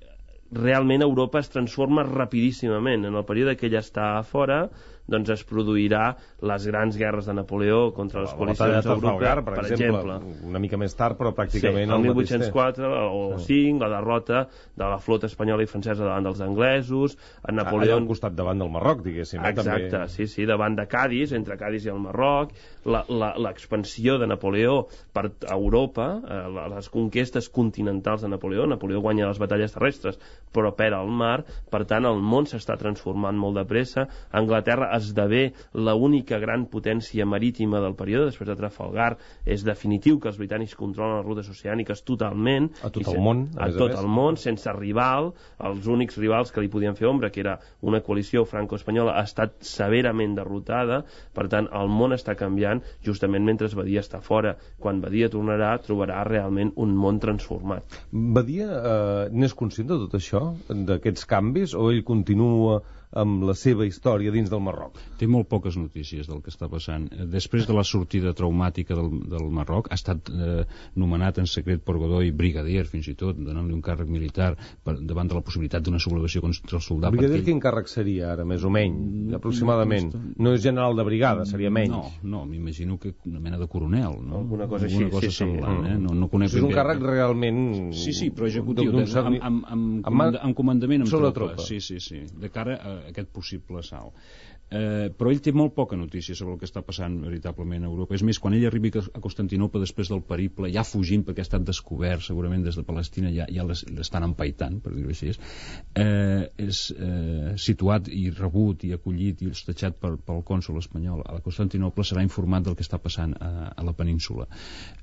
realment Europa es transforma rapidíssimament. En el període que ella està a fora, doncs es produirà les grans guerres de Napoleó contra les coalicions europees, per, per exemple, exemple.
Una mica més tard, però pràcticament...
Sí, el mil vuit-cents quatre o cinc, la derrota de la flota espanyola i francesa davant dels anglesos, a Napoleó...
Allà al costat davant del Marroc, diguéssim.
Exacte, també... sí, sí, davant de Cadis, entre Cadis i el Marroc, l'expansió de Napoleó per Europa, eh, les conquestes continentals de Napoleó. Napoleó guanya les batalles terrestres, però perd al mar, per tant, el món s'està transformant molt de pressa. Anglaterra esdevé l'única gran potència marítima del període, després de Trafalgar. És definitiu que els britànics controlen les rutes oceàniques totalment.
A tot el món.
A tot el món, sense rival. Els únics rivals que li podien fer ombra, que era una coalició franco-espanyola, ha estat severament derrotada. Per tant, el món està canviant justament mentre Badia està fora. Quan Badia tornarà, trobarà realment un món transformat.
Badia eh, n'és conscient de tot això, d'aquests canvis, o ell continua amb la seva història dins del Marroc?
Té molt poques notícies del que està passant. Després de la sortida traumàtica del, del Marroc, ha estat eh, nomenat en secret per Godoy brigadier, fins i tot, donant-li un càrrec militar per, davant de la possibilitat d'una sublevació contra el soldat.
Brigadier ell... quin càrrec seria ara, més o menys, aproximadament? No és general de brigada, seria menys?
No, no, m'imagino que una mena de coronel, no?
Alguna cosa així,
Alguna cosa
sí,
semblant,
sí.
Eh? No, no conec
és un càrrec realment...
Sí, sí, però executiu, de,
cert...
amb, amb, amb, amb, amb comandament amb
tropa.
tropa. Sí, sí, sí, de cara a aquest possible salt. Eh, però ell té molt poca notícia sobre el que està passant veritablement a Europa. És més, quan ell arribi a Constantinople després del periple, ja fugint perquè ha estat descobert, segurament des de Palestina ja, ja l'estan empaitant, per dir-ho així, eh, és eh, situat i rebut i acollit i hostatjat per, pel cònsol espanyol a Constantinople, serà informat del que està passant a, a la península.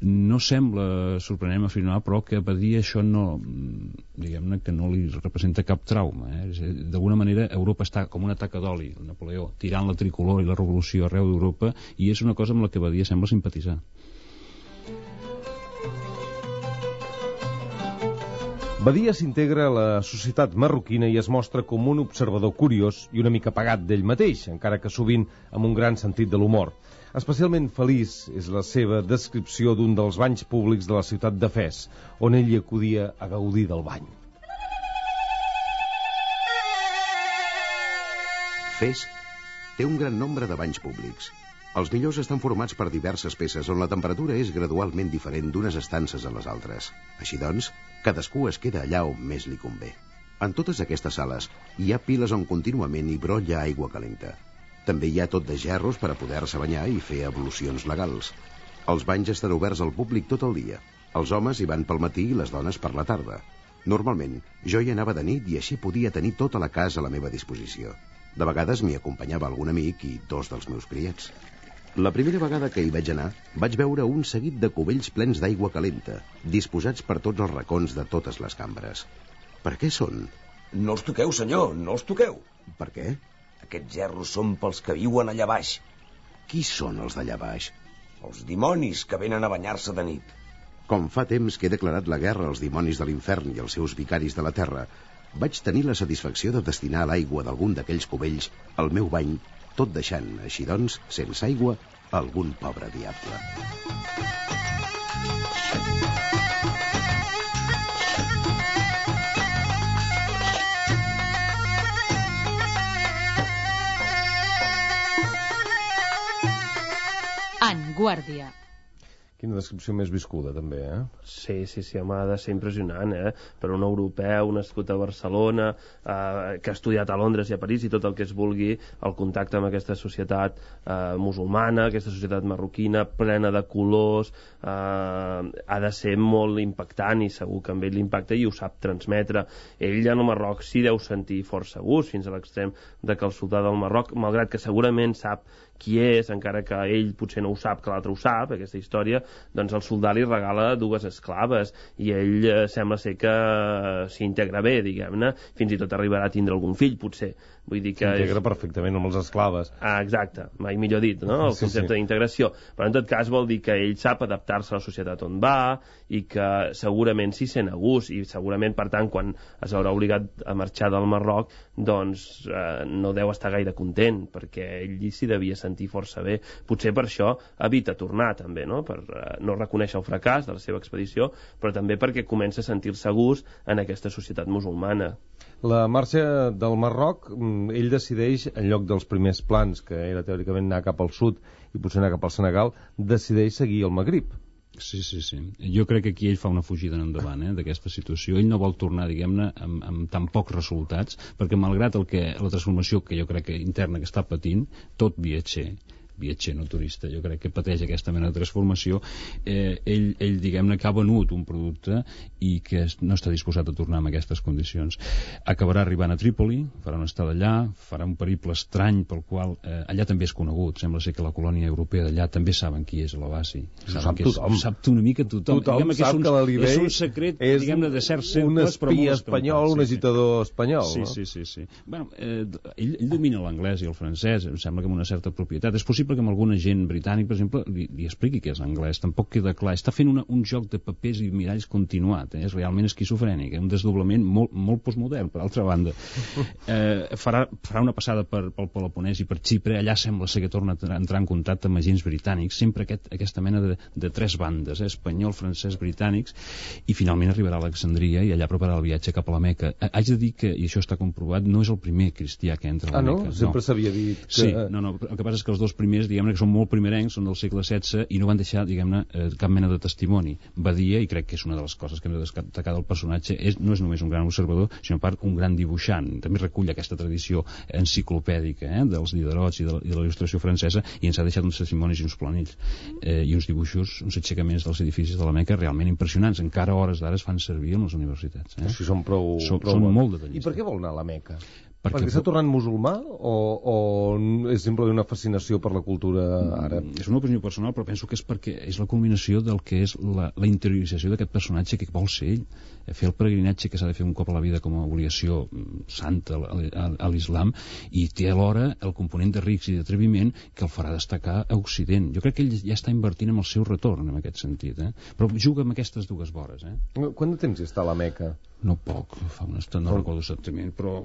No sembla sorprenent afirmar, però que Badia això no, diguem-ne que no li representa cap trauma. Eh? D'alguna manera Europa està com una taca d'oli, Napoleó tirant la tricolor i la revolució arreu d'Europa, i és una cosa amb la que Badia sembla simpatitzar.
Badia s'integra a la societat marroquina i es mostra com un observador curiós i una mica pagat d'ell mateix, encara que sovint amb un gran sentit de l'humor. Especialment feliç és la seva descripció d'un dels banys públics de la ciutat de Fes, on ell hi acudia a gaudir del bany.
Fes té un gran nombre de banys públics. Els millors estan formats per diverses peces on la temperatura és gradualment diferent d'unes estances a les altres. Així doncs, cadascú es queda allà on més li convé. En totes aquestes sales hi ha piles on contínuament hi brolla aigua calenta. També hi ha tot de gerros per a poder-se banyar i fer ablucions legals. Els banys estan oberts al públic tot el dia. Els homes hi van pel matí i les dones per la tarda. Normalment, jo hi anava de nit i així podia tenir tota la casa a la meva disposició. De vegades m'hi acompanyava algun amic i dos dels meus criats. La primera vegada que hi vaig anar, vaig veure un seguit de cubells plens d'aigua calenta, disposats per tots els racons de totes les cambres. Per què són?
No els toqueu, senyor, no els toqueu.
Per què?
Aquests gerros són pels que viuen allà baix.
Qui són els d'allà baix?
Els dimonis que venen a banyar-se de nit.
Com fa temps que he declarat la guerra als dimonis de l'infern i als seus vicaris de la terra, vaig tenir la satisfacció de destinar l'aigua d'algun d'aquells cubells al meu bany, tot deixant, així doncs, sense aigua, algun pobre diable.
En Guàrdia.
Quina descripció més viscuda, també, eh?
Sí, sí, sí, home, ha de ser impressionant, eh? Per un europeu nascut a Barcelona, eh, que ha estudiat a Londres i a París i tot el que es vulgui, el contacte amb aquesta societat eh, musulmana, aquesta societat marroquina, plena de colors, eh, ha de ser molt impactant i segur que amb ell l'impacta i ho sap transmetre. Ell en el Marroc s'hi deu sentir força gust, fins a l'extrem de que el soldà del Marroc, malgrat que segurament sap qui és, encara que ell potser no ho sap, que l'altre ho sap, aquesta història, doncs el soldà li regala dues esclaves i ell eh, sembla ser que eh, s'integra bé, diguem-ne, fins i tot arribarà a tindre algun fill, potser. Vull dir que
s'integra
és...
perfectament amb les esclaves.
Ah, exacte, mai millor dit, no? El
Sí,
concepte
sí.
d'integració. Però en tot cas vol dir que ell sap adaptar-se a la societat on va i que segurament s'hi sent a gust i segurament, per tant, quan es haurà obligat a marxar del Marroc, doncs eh, no deu estar gaire content, perquè ell s'hi devia sentir força bé. Potser per això evita tornar, també, no? Per eh, no reconèixer el fracàs de la seva expedició, però també perquè comença a sentir-se a gust en aquesta societat musulmana.
La marxa del Marroc, ell decideix, en lloc dels primers plans, que era teòricament anar cap al sud i potser anar cap al Senegal, decideix seguir el Magrib.
Sí, sí, sí. Jo crec que aquí ell fa una fugida en endavant, eh, d'aquesta situació. Ell no vol tornar, diguem-ne, amb, amb tan pocs resultats, perquè malgrat el que, la transformació que jo crec que interna que està patint, tot viatger, viatger, no turista, jo crec que pateix aquesta mena de transformació, eh, ell, ell diguem-ne, que ha venut un producte i que no està disposat a tornar en aquestes condicions. Acabarà arribant a Trípoli, farà una estada allà, farà un periple estrany pel qual eh, allà també és conegut, sembla ser que la colònia europea d'allà també saben qui és l'Abbasi.
Sap tothom.
Sap una mica tothom.
Tothom
que
sap
és un,
que l'Alibey
és un secret, diguem-ne, de certs
un
cercles, però
espia
molt
espanyol,
escampat,
un
sí,
agitador espanyol,
sí,
no?
sí, sí, sí. Bueno, eh, ell, ell domina l'anglès i el francès, em sembla que amb una certa propietat. És possible que amb algun agent britànic, per exemple, li, li expliqui que és anglès. Tampoc queda clar. Està fent una, un joc de papers i miralls continuat. Eh? És realment esquizofrènic. Eh? Un desdoblament molt, molt postmodern, per altra banda. Eh, farà, farà una passada per, pel Peloponès i per Xipre. Allà sembla ser que torna a entrar en contacte amb agents britànics. Sempre aquest, aquesta mena de, de tres bandes, eh? espanyol, francès, britànics, i finalment arribarà a Alexandria i allà prepararà el viatge cap a la Meca. Eh, haig de dir que, i això està comprovat, no és el primer cristià que entra a la
Ah, no?
Meca.
Sempre
no.
s'havia dit que...
Sí, no, no, el que passa és que els dos primers més, diguem-ne, que són molt primerencs, són del segle setze i no van deixar, diguem-ne, eh, cap mena de testimoni. Badia, i crec que és una de les coses que hem de destacar del personatge, és, no és només un gran observador, sinó a part un gran dibuixant. També recull aquesta tradició enciclopèdica eh, dels Diderots i de, i de la il·lustració francesa, i ens ha deixat uns testimonis i uns planells eh, i uns dibuixos, uns aixecaments dels edificis de la Meca realment impressionants. Encara a hores d'ara es fan servir en les universitats. Eh?
Sí, són prou...
Són,
prou
són
bons.
molt detallistes.
I per què vol anar a la Meca?
Perquè,
Perquè s'ha tornat musulmà o, o és simplement una fascinació per la cultura àrab?
És una opinió personal, però penso que és perquè és la culminació del que és la, la interiorització d'aquest personatge que vol ser ell. Fer el peregrinatge que s'ha de fer un cop a la vida com a obligació santa a, a, a l'islam, i té alhora el component de rics i d'atreviment que el farà destacar a Occident. Jo crec que ell ja està invertint en el seu retorn en aquest sentit, eh? Però juga amb aquestes dues vores. Eh?
Quant de temps hi està a la Meca?
No poc, fa una estona, no recordo exactament, però...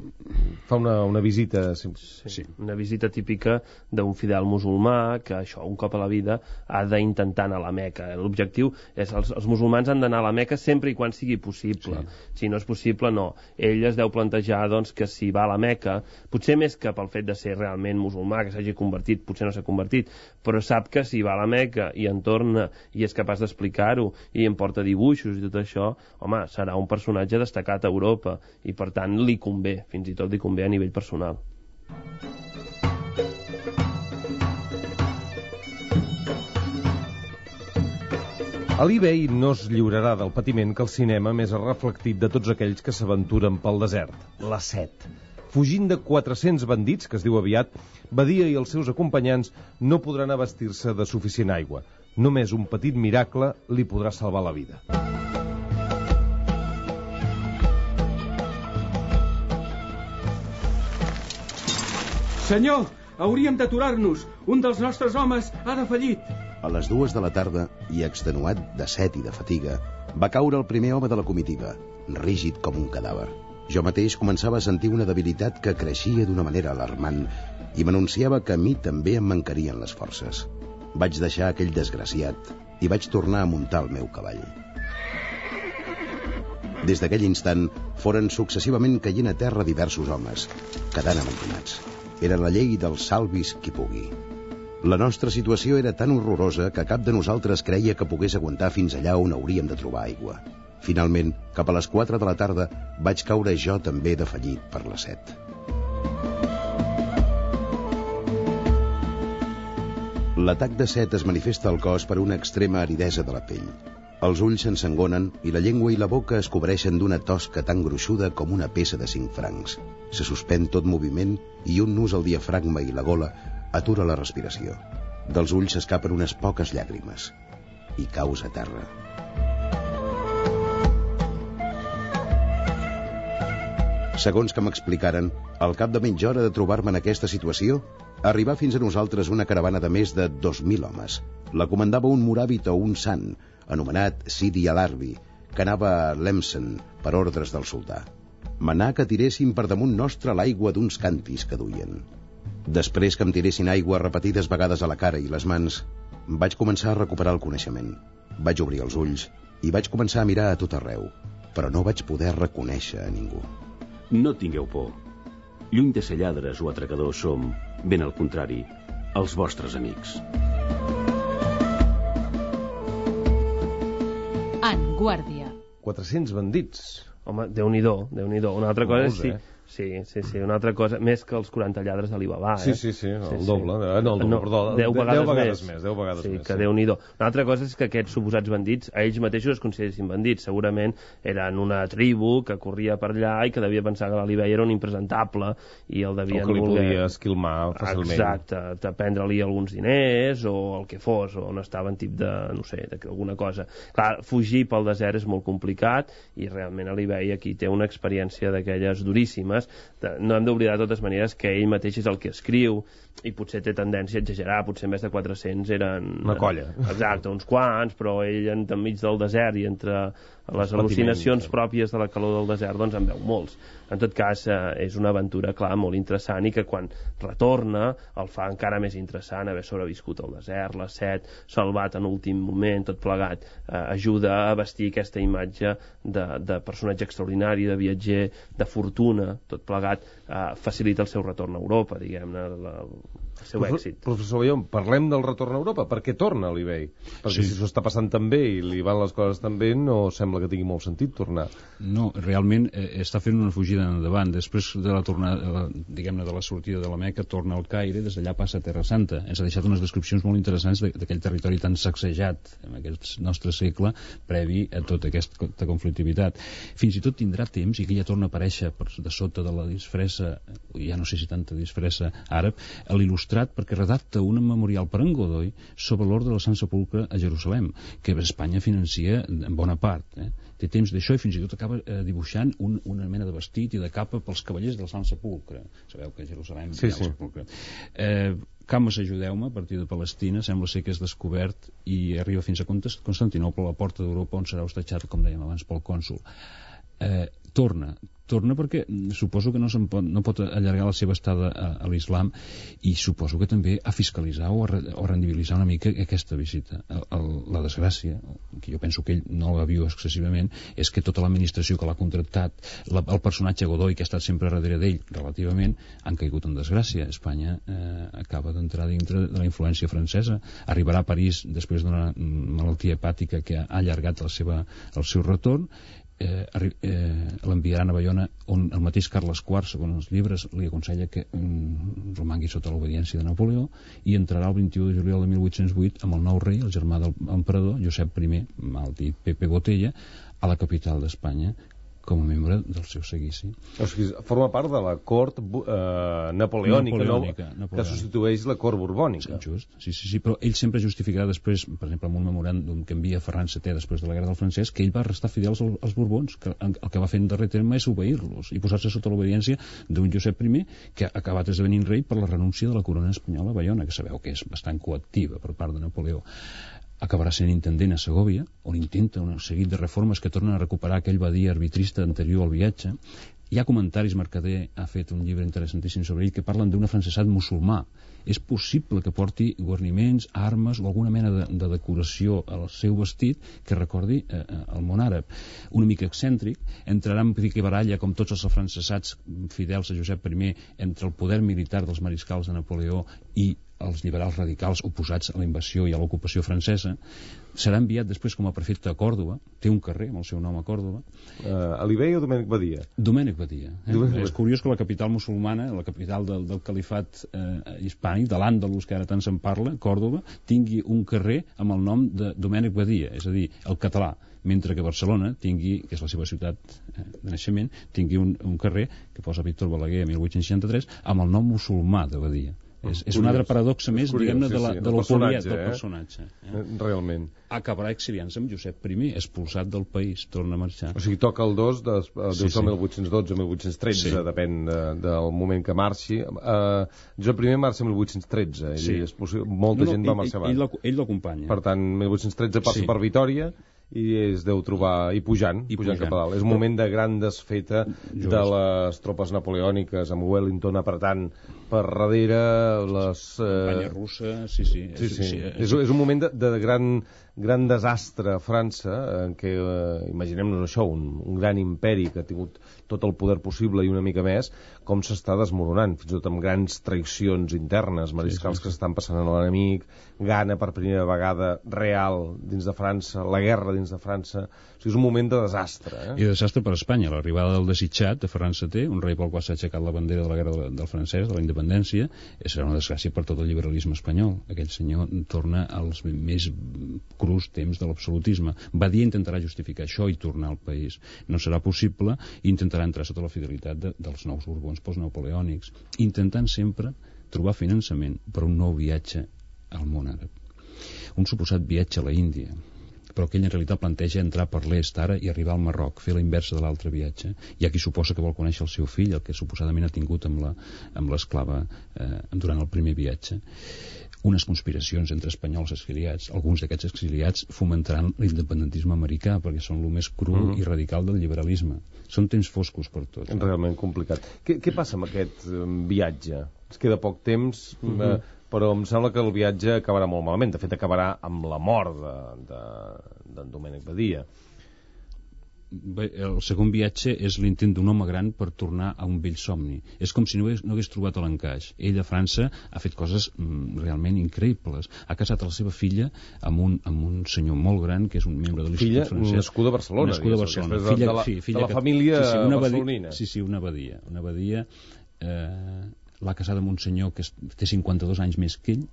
Fa una, una visita... Sí,
sí. Una visita típica d'un fidel musulmà que això, un cop a la vida, ha d'intentar anar a la Meca. L'objectiu és els, els musulmans han d'anar a la Meca sempre i quan sigui possible. Sí. Si no és possible, no. Ell es deu plantejar doncs, que si va a la Meca, potser més que pel fet de ser realment musulmà, que s'hagi convertit, potser no s'ha convertit, però sap que si va a la Meca i en torna i és capaç d'explicar-ho i en porta dibuixos i tot això, home, serà un personatge destacat a Europa i per tant li convé, fins i tot li convé a nivell personal.
Ali Bey no es lliurarà del patiment que el cinema més ha reflectit de tots aquells que s'aventuren pel desert, la set. Fugint de quatre-cents bandits, que es diu aviat, Badia i els seus acompanyants no podran abastir-se de suficient aigua. Només un petit miracle li podrà salvar la vida.
Senyor, hauríem d'aturar-nos. Un dels nostres homes ha defallit.
A les dues de la tarda, i extenuat de set i de fatiga, va caure el primer home de la comitiva, rígid com un cadàver. Jo mateix començava a sentir una debilitat que creixia d'una manera alarmant i m'anunciava que a mi també em mancarien les forces. Vaig deixar aquell desgraciat i vaig tornar a muntar el meu cavall. Des d'aquell instant, foren successivament caient a terra diversos homes, quedant amontonats. Era la llei dels salvis qui pugui. La nostra situació era tan horrorosa que cap de nosaltres creia que pogués aguantar fins allà on hauríem de trobar aigua. Finalment, cap a les quatre de la tarda, vaig caure jo també defallit per la set. L'atac de set es manifesta al cos per una extrema aridesa de la pell. Els ulls s'ensangonen i la llengua i la boca es cobreixen d'una tosca tan gruixuda com una peça de cinc francs. Se suspèn tot moviment i un nus al diafragma i la gola atura la respiració. Dels ulls s'escapen unes poques llàgrimes i caus a terra. Segons que m'explicaren, al cap de mitja hora de trobar-me en aquesta situació, arribà fins a nosaltres una caravana de més de dos mil homes. La comandava un moràvit o un sant, anomenat Sidi al-Arbi, que anava a Lemsen per ordres del sultà. Manà que tiréssim per damunt nostre l'aigua d'uns cantis que duien. Després que em tiressin aigua repetides vegades a la cara i les mans, vaig començar a recuperar el coneixement. Vaig obrir els ulls i vaig començar a mirar a tot arreu, però no vaig poder reconèixer a ningú.
No tingueu por. Lluny de ser lladres o atracadors som, ben al contrari, els vostres amics.
En Guàrdia.
quatre-cents bandits.
Home, Déu-n'hi-do, Déu-n'hi-do. Una altra cosa és...
Molts,
sí.
eh?
Sí, sí, sí, una altra cosa, més que els quaranta lladres d'Alibaba, eh?
Sí, sí, sí, el
sí,
doble,
sí.
eh? no, el doble,
no,
perdó,
deu vegades,
deu vegades
més.
més, deu vegades
sí,
més.
que
Sí,
Déu-n'hi-do. Una altra cosa és que aquests suposats bandits, a ells mateixos es consideressin bandits, segurament eren una tribu que corria per allà i que devia pensar que l'Alibaba era un impresentable i el devien
o que li
voler...
podia esquilmar fàcilment.
Exacte, de prendre-li alguns diners o el que fos, o on estava en tip de, no sé, d'alguna cosa. Clar, fugir pel desert és molt complicat i realment Alibaba aquí té una experiència d'aquelles duríssimes. No hem d'oblidar de totes maneres que ell mateix és el que escriu i potser té tendència a exagerar, potser més de quatre-cents eren...
Una colla.
Exacte, uns quants, però ell enmig del desert i entre les al·lucinacions pròpies de la calor del desert, doncs en veu molts. En tot cas, eh, és una aventura, clar, molt interessant i que quan retorna el fa encara més interessant haver sobreviscut al desert, la set, salvat en últim moment, tot plegat, eh, ajuda a vestir aquesta imatge de, de personatge extraordinari, de viatger, de fortuna, tot plegat, eh, facilita el seu retorn a Europa, diguem-ne, la, el seu èxit.
Professor Bayón, parlem del retorn a Europa. Per què torna l'eBay? Perquè si s'ho està passant tan bé i li van les coses tan bé, no sembla que tingui molt sentit tornar.
No, realment eh, està fent una fugida endavant. Després de la tornada, diguem-ne, de la sortida de la Meca, torna al Caire, des d'allà passa a Terra Santa. Ens ha deixat unes descripcions molt interessants d'aquell territori tan sacsejat en aquest nostre segle previ a tota aquesta conflictivitat. Fins i tot tindrà temps, i que ja torna a aparèixer per de sota de la disfressa, ja no sé si tanta disfressa àrab, a l'il·lustrat perquè redacta un memorial per en Godoy sobre l'ordre del Sant Sepulcre a Jerusalem, que Espanya financia en bona part. Eh? Té temps d'això i fins i tot acaba eh, dibuixant un, una mena de vestit i de capa pels cavallers del Sant Sepulcre. Sabeu que a Jerusalem
sí,
hi ha el
sí.
sepulcre. Eh, Cames, ajudeu-me, a partir de Palestina, sembla ser que és descobert i arriba fins a Constantinople, a la porta d'Europa, on serà hostatjat, com dèiem abans, pel cònsol. Eh, torna, torna perquè suposo que no, se'n pot, no pot allargar la seva estada a, a l'islam, i suposo que també a fiscalitzar o a, re, o a rendibilitzar una mica aquesta visita. El, el, la desgràcia, que jo penso que ell no la viu excessivament, és que tota l'administració que l'ha contractat, la, el personatge Godoy, que ha estat sempre darrere d'ell relativament, han caigut en desgràcia. Espanya eh, acaba d'entrar dintre de la influència francesa, arribarà a París després d'una malaltia hepàtica que ha allargat la seva, el seu retorn. Eh, eh, l'enviaran a Bayona, on el mateix Carles quart, segons els llibres, li aconsella que mm, romangui sota l'obediència de Napoleó, i entrarà el vint-i-u de juliol de mil vuit-cents vuit amb el nou rei, el germà del emperador Josep I, mal dit Pepe Botella, a la capital d'Espanya, com a membre del seu seguici.
O sigui, forma part de la cort eh, napoleònica,
napoleònica,
no?
napoleònica,
que substitueix la cort borbònica.
Sí, just. Sí, sí, sí, però ell sempre justificarà després, per exemple, amb un memoràndum que envia Ferran setè després de la guerra del francès, que ell va restar fidel als, als Borbons, que el que va fer en darrer terme és obeir-los i posar-se sota l'obediència d'un Josep I, que ha acabat esdevenint rei per la renúncia de la corona espanyola a Bayona, que sabeu que és bastant coactiva per part de Napoleó. Acabarà sent intendent a Segòvia, on intenta un seguit de reformes que tornen a recuperar aquell badia arbitrista anterior al viatge. Hi ha comentaris, Mercader ha fet un llibre interessantíssim sobre ell, que parlen d'un afrancesat musulmà. És possible que porti guarniments, armes o alguna mena de, de decoració al seu vestit que recordi eh, el món àrab. Una mica excèntric, entrarà en pique baralla, com tots els afrancesats fidels a Josep I, entre el poder militar dels mariscals de Napoleó i els liberals radicals oposats a la invasió i a l'ocupació francesa. Serà enviat després com a prefecte a Còrdova, té un carrer amb el seu nom a Còrdova.
Uh, Alibey o Domènec Badia?
Domènec Badia. Eh?
Domènec...
És curiós que la capital musulmana, la capital del, del califat eh, hispànic, de l'Àndalus, que ara tant se'n parla, Còrdova, tingui un carrer amb el nom de Domènec Badia, és a dir, el català, mentre que Barcelona tingui, que és la seva ciutat eh, de naixement, tingui un, un carrer que posa Víctor Balaguer a mil vuit-cents seixanta-tres amb el nom musulmà de Badia. És, és una altra paradoxa més, diguem-ne, de la, sí, sí, de l'opoliat del personatge. Eh?
Realment.
Acabarà exiliant-se amb Josep I, expulsat del país, torna a marxar.
O sigui, toca el dos, de, deu
sí,
ser
sí.
mil vuit-cents dotze o mil vuit-cents tretze, sí. Depèn de, del moment que marxi. Uh, Josep I marxa mil vuit-cents tretze, sí. És possible, molta no, no, gent va marxar abans.
Ell, ell l'acompanya.
Per tant, mil vuit-cents tretze passa sí. per Vitòria, i es deu trobar, i pujant, I pujant, pujant cap a dalt. És un moment de gran desfeta Just. de les tropes napoleòniques, amb Wellington apretant per darrere les...
Eh... Campanya russa, sí, sí.
sí, sí. sí. És, és un moment de, de gran, gran desastre a França, en què, eh, imaginem-nos això, un, un gran imperi que ha tingut tot el poder possible i una mica més, com s'està desmoronant, fins i tot amb grans traïcions internes, mariscals sí, sí, sí. que s'estan passant a l'enemic, gana per primera vegada real dins de França, la guerra dins de França. O sigui, és un moment de desastre. Eh?
I de desastre per Espanya, l'arribada del desitjat de Ferran setè, un rei pel qual s'ha aixecat la bandera de la guerra del, del francès, de la independència, serà una desgràcia per tot el liberalisme espanyol. Aquell senyor torna als més crus temps de l'absolutisme. Badia intentarà justificar això i tornar al país. No serà possible, i intentarà entrar sota la fidelitat de, dels nous borbons postnapoleònics, intentant sempre trobar finançament per un nou viatge al món àrab. Un suposat viatge a la Índia, però que ell en realitat planteja entrar per l'est ara i arribar al Marroc, fer la inversa de l'altre viatge. Hi ha qui suposa que vol conèixer el seu fill, el que suposadament ha tingut amb la, amb l'esclava eh, durant el primer viatge. Unes conspiracions entre espanyols exiliats. Alguns d'aquests exiliats fomentaran l'independentisme americà, perquè són el més cru mm-hmm. i radical del liberalisme. Són temps foscos per tots.
Realment complicat. Què, què passa amb aquest um, viatge? Es queda poc temps, mm-hmm. eh, però em sembla que el viatge acabarà molt malament. De fet, acabarà amb la mort d'en de, de, Domènec Badia.
el segon viatge és l'intent d'un home gran per tornar a un vell somni. És com si no hagués, no hagués trobat l'encaix. Ell a França ha fet coses mm, realment increïbles. Ha casat a la seva filla amb un, amb un senyor molt gran, que és un membre de l'Institut Francès.
Filla nascuda a Barcelona.
Nascuda a Barcelona.
De,
filla,
de, la,
sí, filla
de la
que,
família
sí, sí, una
barcelonina.
Badia, sí, sí, una abadia. Una abadia eh, l'ha casada amb un senyor que té cinquanta-dos anys més que ell,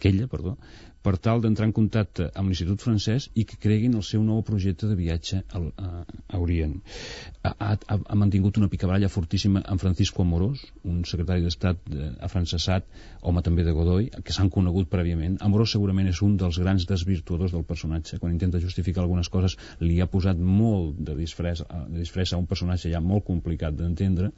que ella, perdó, per tal d'entrar en contacte amb l'Institut Francès i que creguin el seu nou projecte de viatge al, a, a Orient. Ha, ha, ha mantingut una picabaralla fortíssima amb Francisco Amorós, un secretari d'Estat afrancesat, home també de Godoy, que s'han conegut prèviament. Amorós segurament és un dels grans desvirtuadors del personatge. Quan intenta justificar algunes coses li ha posat molt de disfressa, de disfressa a un personatge ja molt complicat d'entendre,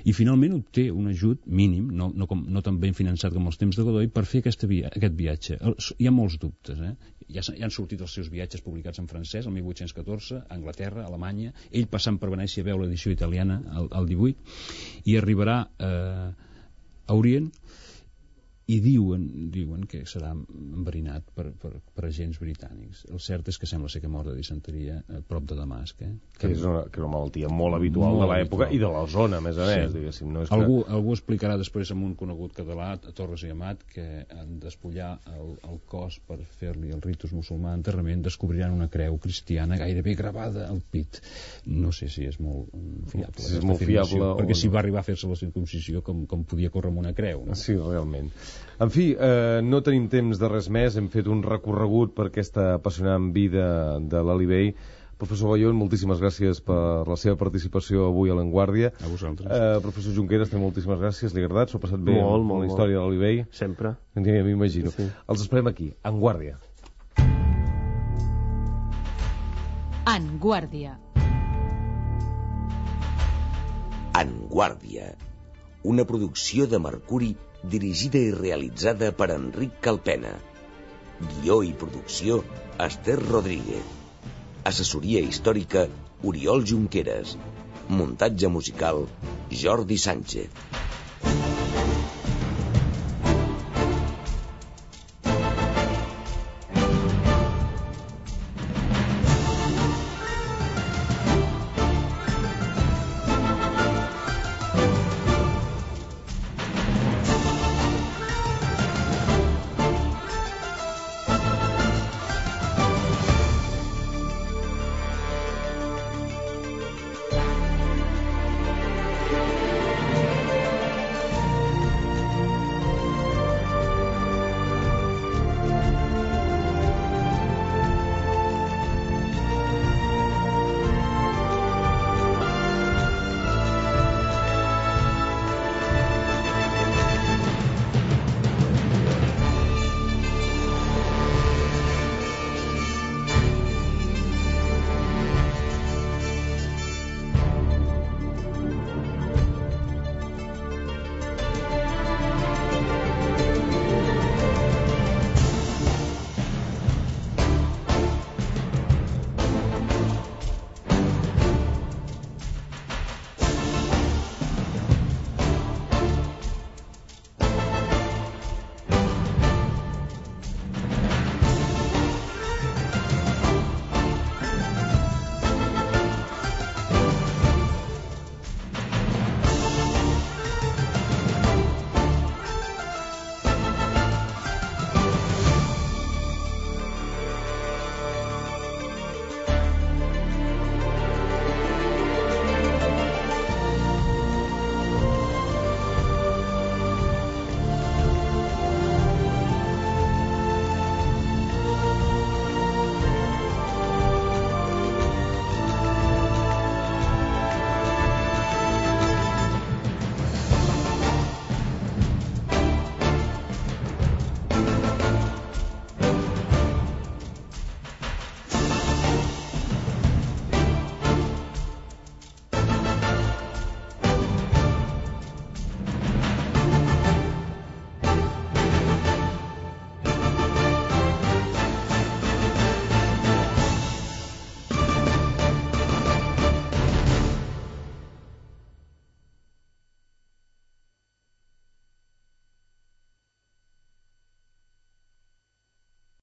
i finalment obté un ajut mínim, no, no, com, no tan ben finançat com els temps de Godoy, per fer aquesta via, aquest viatge. Hi ha molts dubtes, eh? Ja, ja han sortit els seus viatges publicats en francès el mil vuit-cents catorze, a Anglaterra, a Alemanya, ell passant per Venècia veu l'edició italiana al, al divuit, i arribarà eh, a Orient, i diuen, diuen que serà enverinat per, per, per agents britànics. El cert és que sembla ser que mor de disenteria a prop de Damasc. Eh?
Que és una, que és una malaltia molt habitual molt de l'època i de la zona, a més a més. Sí. Diguéssim, no és
algú,
que...
algú explicarà després amb un conegut català, a Torres i Amat, que en despullar el, el cos per fer-li el ritus musulmà d'enterrament descobriran una creu cristiana gairebé gravada al pit. No sé si és molt fiable.
Si és molt fiable
perquè
o
si
no.
va arribar a fer-se la circuncisió com, com podia córrer amb una creu. No?
Sí, realment. En fi, eh, no tenim temps de res més, hem fet un recorregut per aquesta apassionant vida de l'Ali Bei. Professor Bayón, moltíssimes gràcies per la seva participació avui a l'Enguàrdia.
A vosaltres.
Eh, professor Junqueras, també moltíssimes gràcies, li ha agradat, s'ho ha passat bé
molt,
amb
molt,
la història
molt.
de l'Ali Bei.
Sempre.
Ja m'imagino. Sí. Els esperem aquí, en Guàrdia.
En Guàrdia.
En Guàrdia, una producció de Mercuri dirigida i realitzada per Enric Calpena. Guió i producció, Esther Rodríguez. Assessoria històrica, Oriol Junqueras. Muntatge musical, Jordi Sánchez.